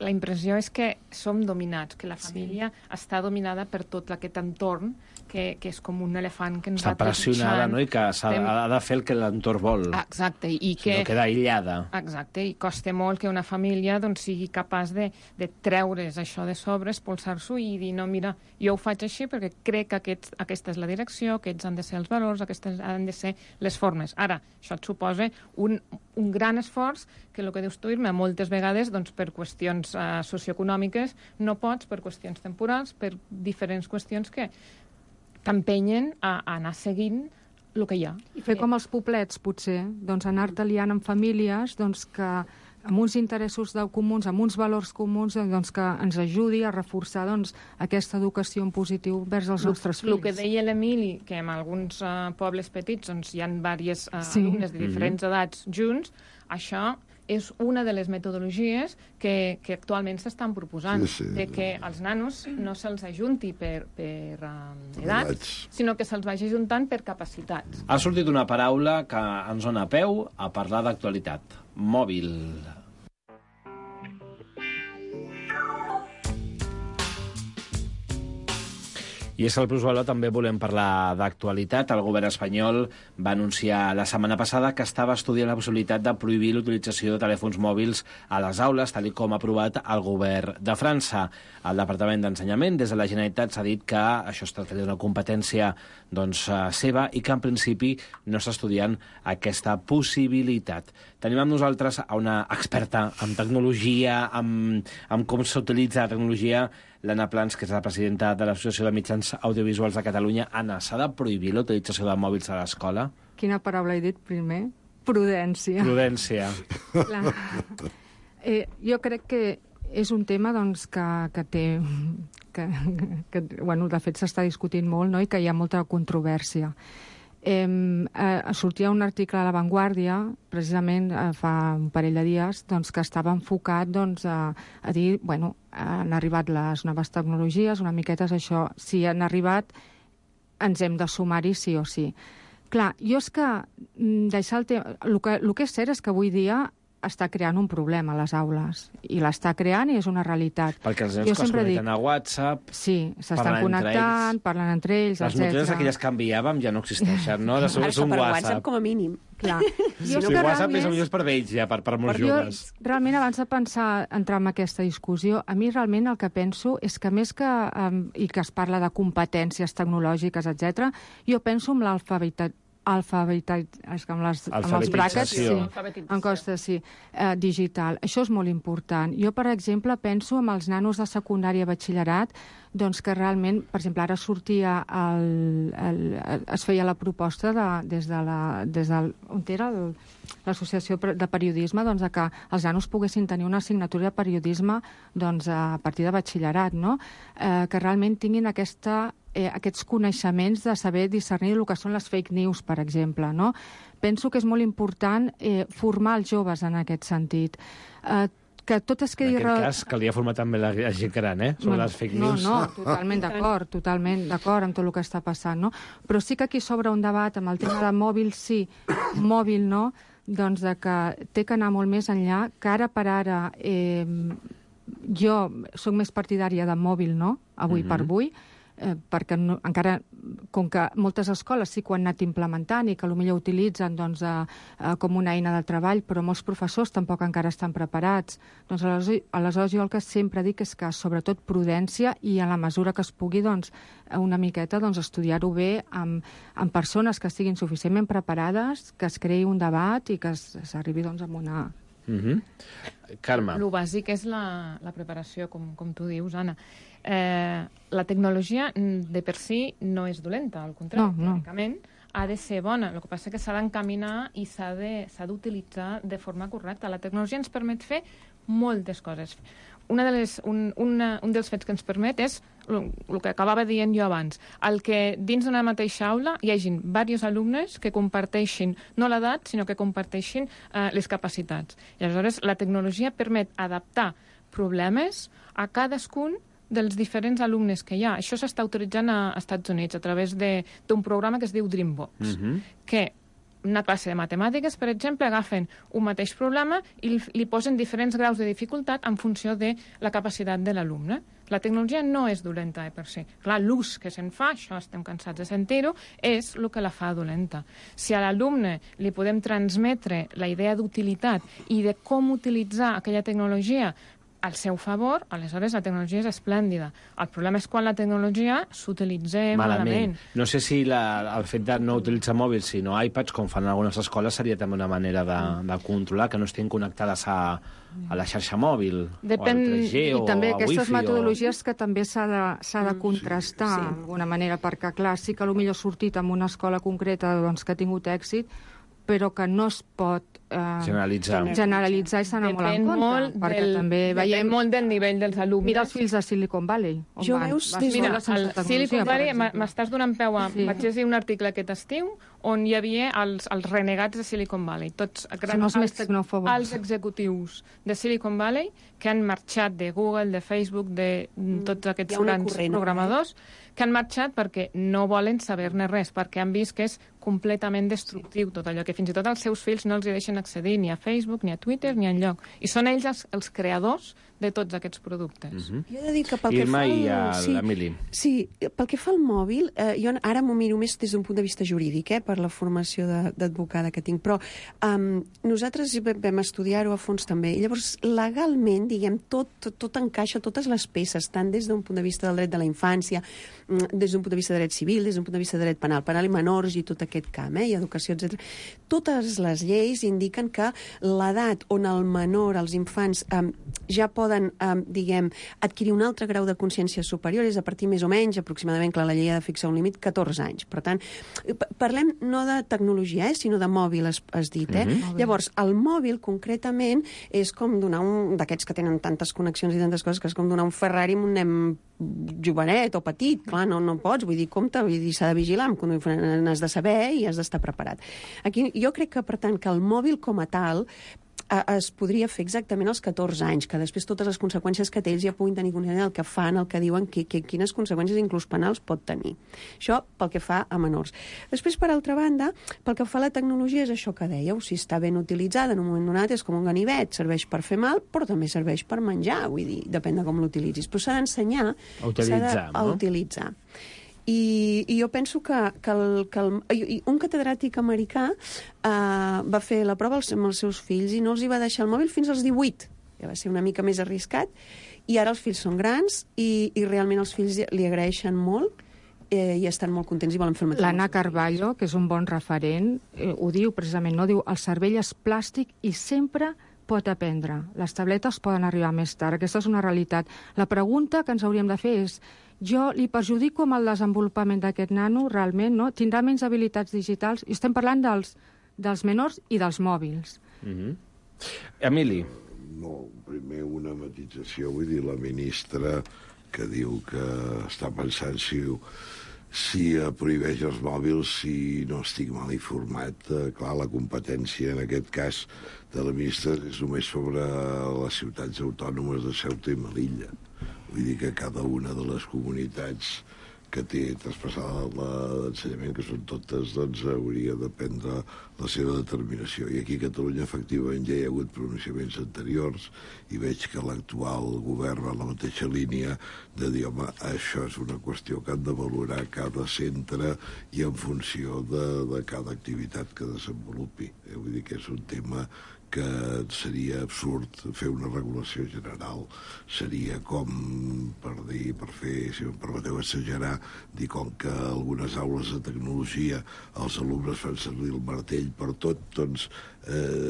La impressió és que som dominats, que la família està dominada per tot aquest entorn, que és com un elefant que ens va trepitjant. Està pressionada, no?, i que ha de fer el que l'entorn vol. Exacte. I que no queda aïllada. Exacte, i costa molt que una família doncs, sigui capaç de treure's això de sobre, expulsar-s'ho i dir, no, mira, jo ho faig així perquè crec que aquesta és la direcció, aquests han de ser els valors, aquestes han de ser les formes. Ara, això et suposa un gran esforç que el que dius tu, Irma, moltes vegades doncs, per qüestions socioeconòmiques no pots, per qüestions temporals, per diferents qüestions que t'empenyen a anar seguint el que hi ha. I fer com els poblets, potser, doncs anar-te liant amb famílies doncs, que amb uns interessos comuns, amb uns valors comuns, doncs, que ens ajudi a reforçar doncs, aquesta educació en positiu vers els nostres fills. El que deia l'Emili, que en alguns pobles petits doncs, hi ha diversos alumnes de diferents edats junts, això és una de les metodologies que actualment s'estan proposant, de que els nanos no se'ls ajunti per edats, sinó que se'ls vagi ajuntant per capacitats. Ha sortit una paraula que ens dona peu a parlar d'actualitat. Mòbil. I és que al Plusvalor també volem parlar d'actualitat. El govern espanyol va anunciar la setmana passada que estava estudiant la possibilitat de prohibir l'utilització de telèfons mòbils a les aules, tal com ha aprovat el govern de França. El Departament d'Ensenyament, des de la Generalitat, s'ha dit que això es tracta d'una competència seva i que en principi no està estudiant aquesta possibilitat. Tenim amb nosaltres a una experta en tecnologia, en com s'utilitza la tecnologia, l'Anna Plans, que és la presidenta de l'Associació de Mitjans Audiovisuals de Catalunya. Anna, s'ha de prohibir la utilització de mòbils a l'escola? Quina paraula he dit primer? Prudència. Prudència. Jo crec que és un tema doncs, que té... bueno, de fet, s'està discutint molt, no?, i que hi ha molta controvèrsia. Sortia un article a La Vanguardia, precisament fa un parell de dies, doncs, que estava enfocat doncs, a dir, bueno, han arribat les noves tecnologies, una miqueta és això, si han arribat ens hem de sumar-hi sí o sí. Clar, jo és que deixar el tema... El que és cert és que avui dia està creant un problema a les aules, i l'està creant i és una realitat. Perquè els nens que es connecten a WhatsApp... Sí, s'estan connectant, parlen entre ells, etc. Les notícies aquelles que enviàvem ja no existeixen, no? Ara està per WhatsApp com a mínim. Clar. Si WhatsApp és millor per vells, ja, per molts joves. Realment, abans de pensar entrar en aquesta discussió, a mi realment el que penso és que més que... i que es parla de competències tecnològiques, etc., jo penso en amb els bràquets, en costes, digital. Això és molt important. Jo, per exemple, penso en els nanos de secundària i batxillerat, doncs que realment, per exemple, ara sortia es feia la proposta des de on era l'associació de periodisme, doncs que els nanos poguessin tenir una assignatura de periodisme doncs, a partir de batxillerat, no? Que realment tinguin aquests coneixements de saber discernir el que són les fake news, per exemple, no? Penso que és molt important formar els joves en aquest sentit. Que tot es quedi... En aquest cas, calia formar també la gent gran, sobre les fake news. No, totalment d'acord amb tot el que està passant, no? Però sí que aquí s'obre un debat amb el tema de mòbil sí, mòbil no, doncs que té que anar molt més enllà, que ara per ara jo soc més partidària de mòbil no, avui per avui, perquè encara, com que moltes escoles sí que ho han anat implementant i que potser utilitzen doncs, com una eina de treball, però molts professors tampoc encara estan preparats. Doncs aleshores jo el que sempre dic és que sobretot prudència i a la mesura que es pugui doncs, una miqueta doncs, estudiar-ho bé amb persones que estiguin suficientment preparades, que es creï un debat i que s'arribi doncs, a una... Carme. Lo bàsic és la preparació, com tu dius, Anna. La tecnologia de per si no és dolenta, al contrari, teòricament ha de ser bona. El que passa és que s'ha d'encaminar i s'ha d'utilitzar de forma correcta. La tecnologia ens permet fer moltes coses. Un dels fets que ens permet és el que acabava dient jo abans, el que dins d'una mateixa aula hi hagin diversos alumnes que comparteixin no l'edat, sinó que comparteixin les capacitats. I aleshores la tecnologia permet adaptar problemes a cadascun dels diferents alumnes que hi ha. Això s'està utilitzant als Estats Units a través d'un programa que es diu Dreambox, que una classe de matemàtiques, per exemple, agafen un mateix problema i li posen diferents graus de dificultat en funció de la capacitat de l'alumne. La tecnologia no és dolenta per si. Clar, l'ús que se'n fa, això estem cansats de sentir-ho, és el que la fa dolenta. Si a l'alumne li podem transmetre la idea d'utilitat i de com utilitzar aquella tecnologia al seu favor, aleshores la tecnologia és esplèndida. El problema és quan la tecnologia s'utilitza malament. No sé si el fet de no utilitzar mòbils, sinó iPads, com fan en algunes escoles, seria també una manera de controlar que no estiguin connectades a la xarxa mòbil, o al 3G, o a Wi-Fi. I també aquestes metodologies que també s'ha de contrastar d'alguna manera, perquè clar, sí que potser ha sortit en una escola concreta doncs, que ha tingut èxit, però que no es pot generalitzar i s'ha d'anar molt en compte, perquè també veiem... Depèn molt del nivell dels alumnes. Mira els fills de Silicon Valley. Mira, al Silicon Valley m'estàs donant peu a... Vaig llegir un article aquest estiu on hi havia els renegats de Silicon Valley, tots els executius de Silicon Valley que han marxat de Google, de Facebook, de tots aquests grans programadors, que han marxat perquè no volen saber-ne res, perquè han vist que és completament destructiu tot allò, que fins i tot els seus fills no els hi deixen accedir ni a Facebook, ni a Twitter, ni enlloc. I són ells els creadors de tots aquests productes. Jo he de dir que pel que fa l'Emili. Sí, pel que fa al mòbil, jo ara m'ho miro més des d'un punt de vista jurídic, per la formació d'advocada que tinc, però nosaltres vam estudiar-ho a fons també. Llavors, legalment, diguem, tot encaixa, totes les peces, tant des d'un punt de vista del dret de la infància, des d'un punt de vista de dret civil, des d'un punt de vista de dret penal i menors i tot aquest camp, i educació, etc. Totes les lleis indiquen que l'edat on el menor, els infants, ja poden, diguem, adquirir un altre grau de consciència superior és a partir més o menys, aproximadament, clar, la llei ha de fixar un límit, 14 anys. Per tant, parlem no de tecnologia, sinó de mòbil, has dit, Llavors, el mòbil, concretament, és com donar d'aquests que tenen tantes connexions i tantes coses, que és com donar un Ferrari a un nen jovenet o petit. Clar, no pots, vull dir, compte, s'ha de vigilar, n'has de saber i has d'estar preparat. Aquí, jo crec que, per tant, que el mòbil com a tal es podria fer exactament als 14 anys, que després totes les conseqüències que té ells ja puguin tenir consciència del que fan, el que diuen, quines conseqüències inclús penals pot tenir. Això pel que fa a menors. Després, per altra banda, pel que fa a la tecnologia és això que dèieu, si està ben utilitzada en un moment donat és com un ganivet, serveix per fer mal, però també serveix per menjar, vull dir, depèn de com l'utilitzis. Però s'ha d'ensenyar a utilitzar. I jo penso que un catedràtic americà va fer la prova amb els seus fills i no els hi va deixar el mòbil fins als 18. Ja va ser una mica més arriscat. I ara els fills són grans i realment els fills li agraeixen molt i estan molt contents i volen fer el mateix. L'Anna Carballo, que és un bon referent, ho diu precisament, no? Diu, el cervell és plàstic i sempre pot aprendre. Les tabletes poden arribar més tard. Aquesta és una realitat. La pregunta que ens hauríem de fer és, jo li perjudico amb el desenvolupament d'aquest nano, realment, no? Tindrà menys habilitats digitals? I estem parlant dels menors i dels mòbils. Emili. No, primer una matització, vull dir, la ministra que diu que està pensant si prohibeix els mòbils, si no estic mal informat, clar, la competència en aquest cas de la ministra és només sobre les ciutats autònomes de Ceuta i Melilla. Vull dir que cada una de les comunitats que té traspassada l'ensenyament, que són totes, doncs hauria de prendre la seva determinació. I aquí a Catalunya, efectivament, ja hi ha hagut pronunciaments anteriors i veig que l'actual govern va en la mateixa línia de dir, home, això és una qüestió que han de valorar cada centre i en funció de cada activitat que desenvolupi. Vull dir que és un tema que seria absurd fer una regulació general. Seria com, per fer, si em permeteu exagerar, dir com que algunes aules de tecnologia els alumnes fan servir el martell per tot, doncs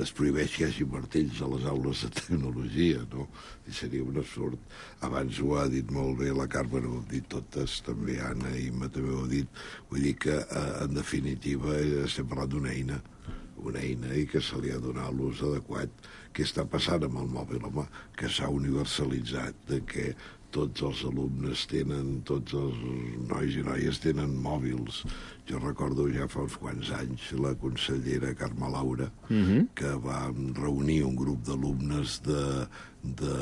es prohibeix que hi hagi martells a les aules de tecnologia, no? I seria un absurd. Abans ho ha dit molt bé la Carme, ho heu dit totes, també Anna i Imma també ho heu dit. Vull dir que, en definitiva, estem parlant d'una eina i que se li ha donat l'ús adequat. Què està passant amb el mòbil? Home, que s'ha universalitzat, de que tots els alumnes tenen, tots els nois i noies tenen mòbils. Jo recordo ja fa uns quants anys la consellera Carme Laura, que va reunir un grup d'alumnes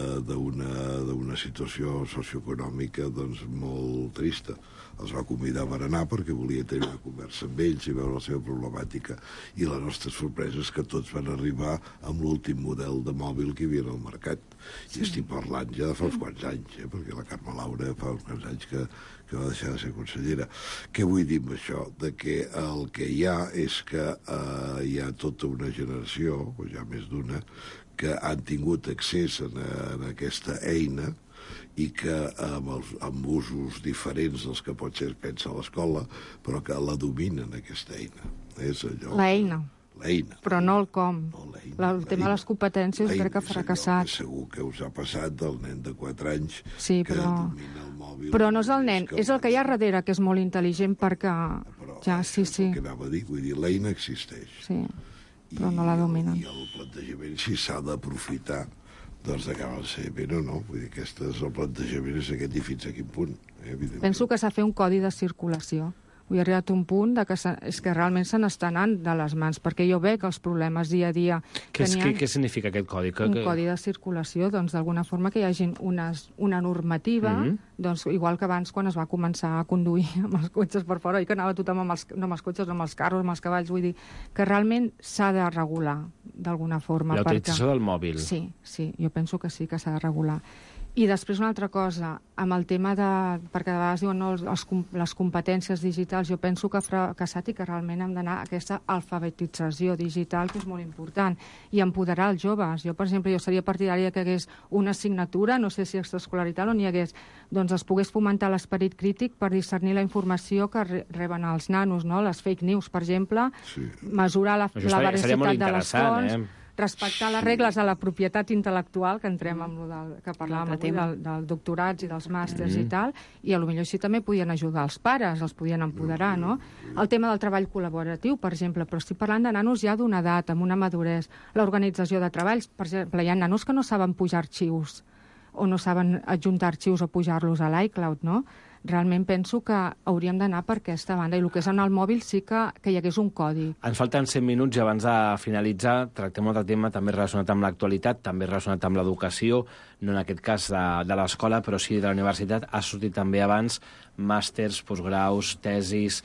d'una situació socioeconòmica doncs, molt trista. Els va convidar a berenar perquè volia tenir una conversa amb ells i veure la seva problemàtica. I la nostra sorpresa és que tots van arribar amb l'últim model de mòbil que hi havia al mercat. I estic parlant ja de fa uns quants anys, perquè la Carme Laura fa uns quants anys que va deixar de ser consellera. Què vull dir amb això? De que el que hi ha és que hi ha tota una generació, o ja més d'una, que han tingut accés a aquesta eina i que amb usos diferents dels que potser es pensa a l'escola, però que la dominen, aquesta eina. És allò... L'eina. L'eina. Però no el com. El tema de les competències crec que ha fracassat. Segur que us ha passat del nen de 4 anys que domina el mòbil. Però no és el nen, és el que hi ha darrere, que és molt intel·ligent perquè... Ja, sí. El que anava a dir, vull dir, l'eina existeix. Sí, però no la dominen. I el plantejament, si s'ha d'aprofitar, doncs acaba de ser bé o no. Vull dir, el plantejament és aquest i fins a quin punt. Penso que s'ha fet un codi de circulació. Vull arribar a un punt que és que realment se n'està anant de les mans, perquè jo veig els problemes dia a dia... Què significa aquest codi? Un codi de circulació, doncs d'alguna forma que hi hagi una normativa, doncs igual que abans quan es va començar a conduir amb els cotxes per fora, i que anava tothom no amb els cotxes, no amb els carros, amb els cavalls, vull dir que realment s'ha de regular d'alguna forma. La utilització del mòbil. Sí, jo penso que sí que s'ha de regular. I després una altra cosa, amb el tema de... perquè a vegades diuen no, les competències digitals, jo penso que ha fracassat i que realment hem d'anar a aquesta alfabetització digital, que és molt important, i empoderar els joves. Jo, per exemple, seria partidària que hi hagués una assignatura, no sé si extraescolaritat o n'hi hagués, doncs es pogués fomentar l'esperit crític per discernir la informació que reben els nanos, no? Les fake news, per exemple, mesurar la veracitat de les fonts... respectar les regles de la propietat intel·lectual, que entrem amb que parlàvem avui dels doctorats i dels màsters i tal, i potser així també podien ajudar els pares, els podien empoderar, no? El tema del treball col·laboratiu, per exemple, però estic parlant de nanos ja d'una edat, amb una maduresa. L'organització de treballs, per exemple, hi ha nanos que no saben pujar arxius, o no saben adjuntar arxius o pujar-los a l'iCloud, no? Realment penso que hauríem d'anar per aquesta banda. I el que és en el mòbil sí que hi hagués un codi. Ens falten 100 minuts i abans de finalitzar tractem un altre tema també relacionat amb l'actualitat, també relacionat amb l'educació, no en aquest cas de l'escola, però sí de la universitat. Ha sortit també abans màsters, postgraus, tesis...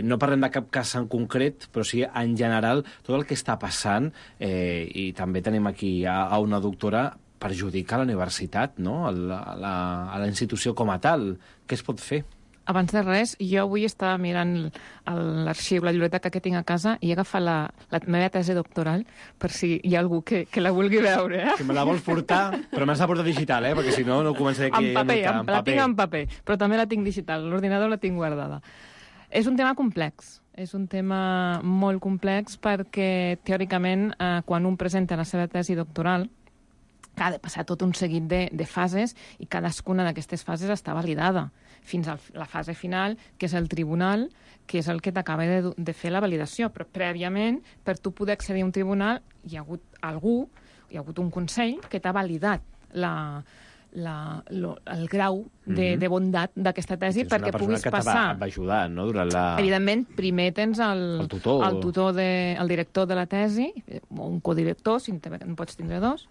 No parlem de cap cas en concret, però sí en general tot el que està passant, i també tenim aquí a una doctora, perjudica la universitat, no? A la institució com a tal. Què es pot fer? Abans de res, jo avui estava mirant l'arxiu, la biblioteca que tinc a casa, i he agafat la meva tesi doctoral per si hi ha algú que la vulgui veure. Si me la vols portar, però m'has de portar digital, perquè si no començaré aquí en paper, la tinc en paper, però també la tinc digital. L'ordinador la tinc guardada. És un tema complex. És un tema molt complex perquè, teòricament, quan un presenta la seva tesi doctoral, ha de passar tot un seguit de fases i cadascuna d'aquestes fases està validada fins a la fase final, que és el tribunal, que és el que t'acaba de fer la validació. Però prèviament, per tu poder accedir a un tribunal, hi ha hagut un consell que t'ha validat el grau de bondat d'aquesta tesi perquè puguis passar. És una persona que va ajudar, no?, durant la... Evidentment, primer tens el tutor, el director de la tesi, o un codirector, si en pots tindre dos,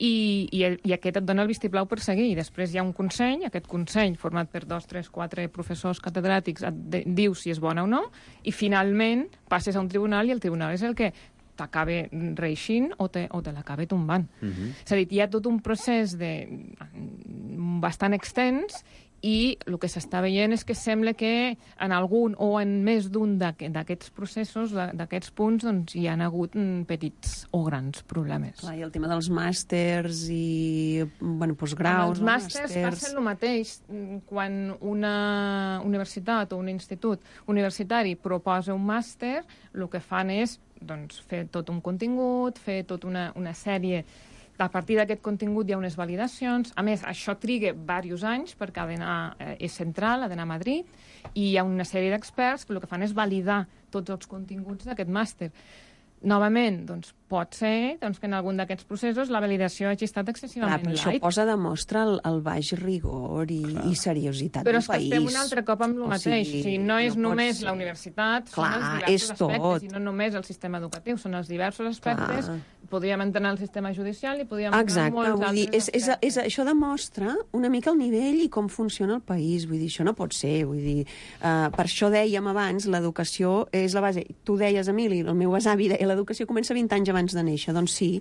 i aquest et dona el vistiplau per seguir. I després hi ha un consell, aquest consell, format per 2, 3, 4 professors catedràtics, et diu si és bona o no, i finalment passes a un tribunal i el tribunal és el que t'acaba reeixint o te l'acaba tombant. És a dir, hi ha tot un procés bastant extens i el que s'està veient és que sembla que en algun o en més d'un d'aquests processos, d'aquests punts, doncs hi ha hagut petits o grans problemes. Clar, i el tema dels màsters i postgraus... Els màsters passen el mateix. Quan una universitat o un institut universitari proposa un màster, el que fan és fer tot un contingut, fer tota una sèrie... A partir d'aquest contingut hi ha unes validacions. A més, això triga diversos anys perquè és central, ha d'anar a Madrid, i hi ha una sèrie d'experts que el que fan és validar tots els continguts d'aquest màster. Novament, pot ser que en algun d'aquests processos la validació hagi estat excessivament light. Això posa de mostra el baix rigor i seriositat del país. Però és que estem un altre cop amb el mateix. No és només la universitat, són els diversos aspectes, i no només el sistema educatiu, són els diversos aspectes. Podríem entrar al sistema judicial i podríem entrar en molts altres aspectes. Això demostra una mica el nivell i com funciona el país. Vull dir, això no pot ser. Per això dèiem abans, l'educació és la base. Tu deies, Emili, el meu besavi deia, l'educació comença 20 anys abans de néixer. Doncs sí,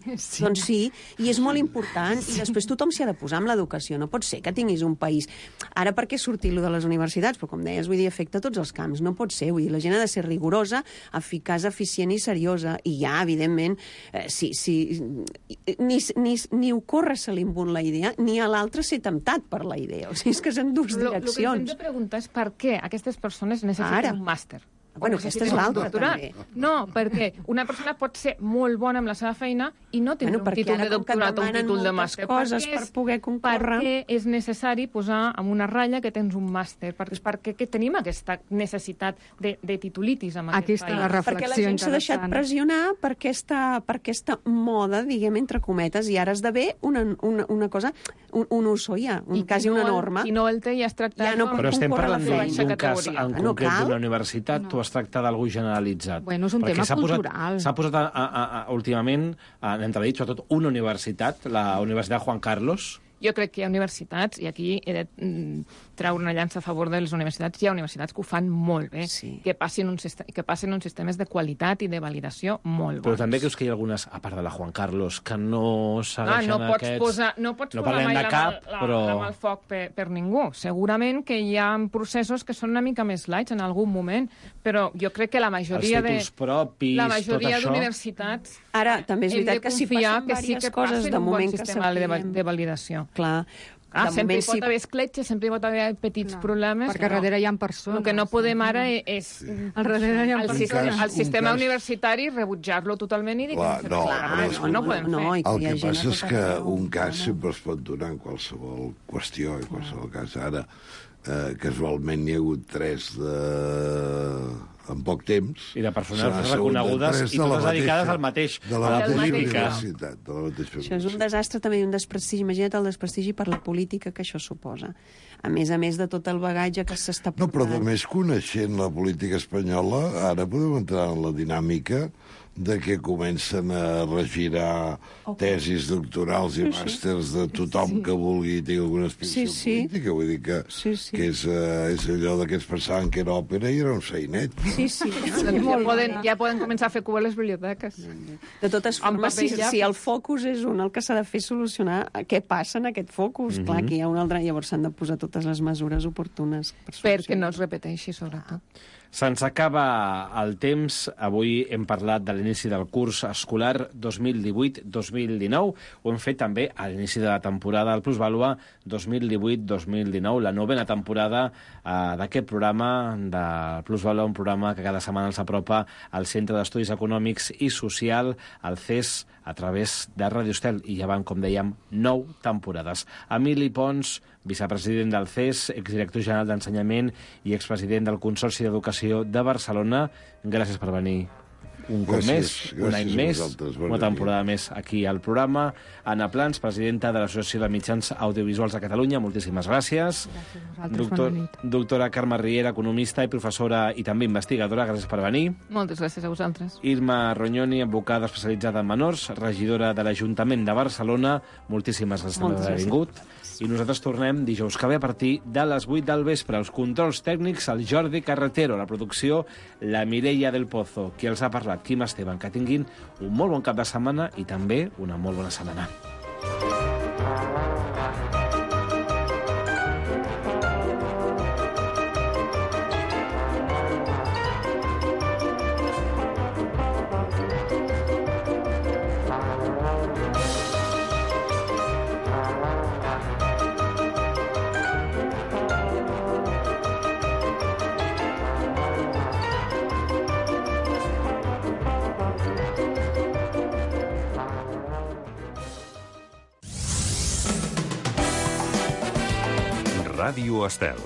i és molt important. I després tothom s'hi ha de posar amb l'educació. No pot ser que tinguis un país... Ara per què sortir de les universitats? Però com deies, afecta tots els camps. No pot ser. La gent ha de ser rigorosa, eficaç, eficient i seriosa. I ja, evidentment, ni ocorre ser l'imbun la idea, ni a l'altre ser temptat per la idea. O sigui, és que són dues direccions. El que ens hem de preguntar és per què aquestes persones necessiten un màster. Aquesta és l'altra, també. No, perquè una persona pot ser molt bona amb la seva feina i no tenir un títol de doctorat o un títol de màster. Per poder concórrer. Perquè és necessari posar en una ratlla que tens un màster. Perquè tenim aquesta necessitat de titulitis en aquest país. Perquè la gent s'ha deixat pressionar per aquesta moda, diguem, entre cometes, i ara esdevé una cosa, un uso ja, quasi una norma. I no el té ja es tractat. Però estem parlant d'un cas en concret d'una universitat, tu has tractat d'algú generalitzat. Bueno, és un tema cultural. S'ha posat últimament en entredit, sobretot, una universitat, la Universitat Juan Carlos. Jo crec que hi ha universitats, i aquí he de treure una llança a favor de les universitats, hi ha universitats que ho fan molt bé, que passen uns sistemes de qualitat i de validació molt bons. Però també creus que hi ha algunes, a part de la Juan Carlos, que no segueixen aquests... No pots posar mai la mà al foc per ningú. Segurament que hi ha processos que són una mica més lights en algun moment, però jo crec que la majoria d'universitats ara també és veritat que si passen diverses coses de moment que sapiguem de validació. Clar. Sempre hi pot haver escletxes, sempre hi pot haver petits problemes. Perquè darrere hi ha persones. El que no podem ara és el sistema universitari rebutjar-lo totalment i dir que no podem fer. El que passa és que un cas sempre es pot donar en qualsevol qüestió, en qualsevol cas. Ara, casualment n'hi ha hagut 3 en poc temps. I de persones reconegudes i totes dedicades al mateix. De la mateixa universitat. Això és un desastre també i un desprestigi. Imagina't el desprestigi per la política que això suposa. A més de tot el bagatge que s'està portant. No, però només coneixent la política espanyola, ara podem entrar en la dinàmica de que comencen a regirar tesis doctorals i màsters de tothom que vulgui i tingui alguna aspiració política. Vull dir que és allò que es pensaven que era òpera i era un sainet. Ja poden començar a fer cua a les biblioteques. De totes formes, si el focus és el que s'ha de fer solucionar què passa en aquest focus. Clar, que hi ha un altre, llavors s'han de posar totes les mesures oportunes. Perquè no es repeteixi, sobretot. Se'ns acaba el temps. Avui hem parlat de l'inici del curs escolar 2018-2019. Ho hem fet també a l'inici de la temporada del Plusvàlua 2018-2019, la novena temporada d'aquest programa de Plusvàlua, un programa que cada setmana els apropa al Centre d'Estudis Econòmics i Social, el CES, a través de Radio Estel, i ja van, com dèiem, 9 temporades. Emili Pons, vicepresident del CES, exdirector general d'Ensenyament i expresident del Consorci d'Educació de Barcelona, gràcies per venir un cop més, un any més, una temporada més aquí al programa. Anna Plans, presidenta de l'Associació de Mitjans Audiovisuals de Catalunya, moltíssimes gràcies. Doctora Carme Riera, economista i professora i també investigadora, gràcies per venir. Moltes gràcies a vosaltres. Irma Rognoni, advocada especialitzada en menors, regidora de l'Ajuntament de Barcelona, moltíssimes gràcies per haver vingut. I nosaltres tornem dijous que ve a partir de les 8 del vespre. Els controls tècnics, el Jordi Carretero, la producció, la Mireia del Pozo, qui els ha parlat, Quim Esteban. Que tinguin un molt bon cap de setmana i també una molt bona setmana. Ràdio Estel.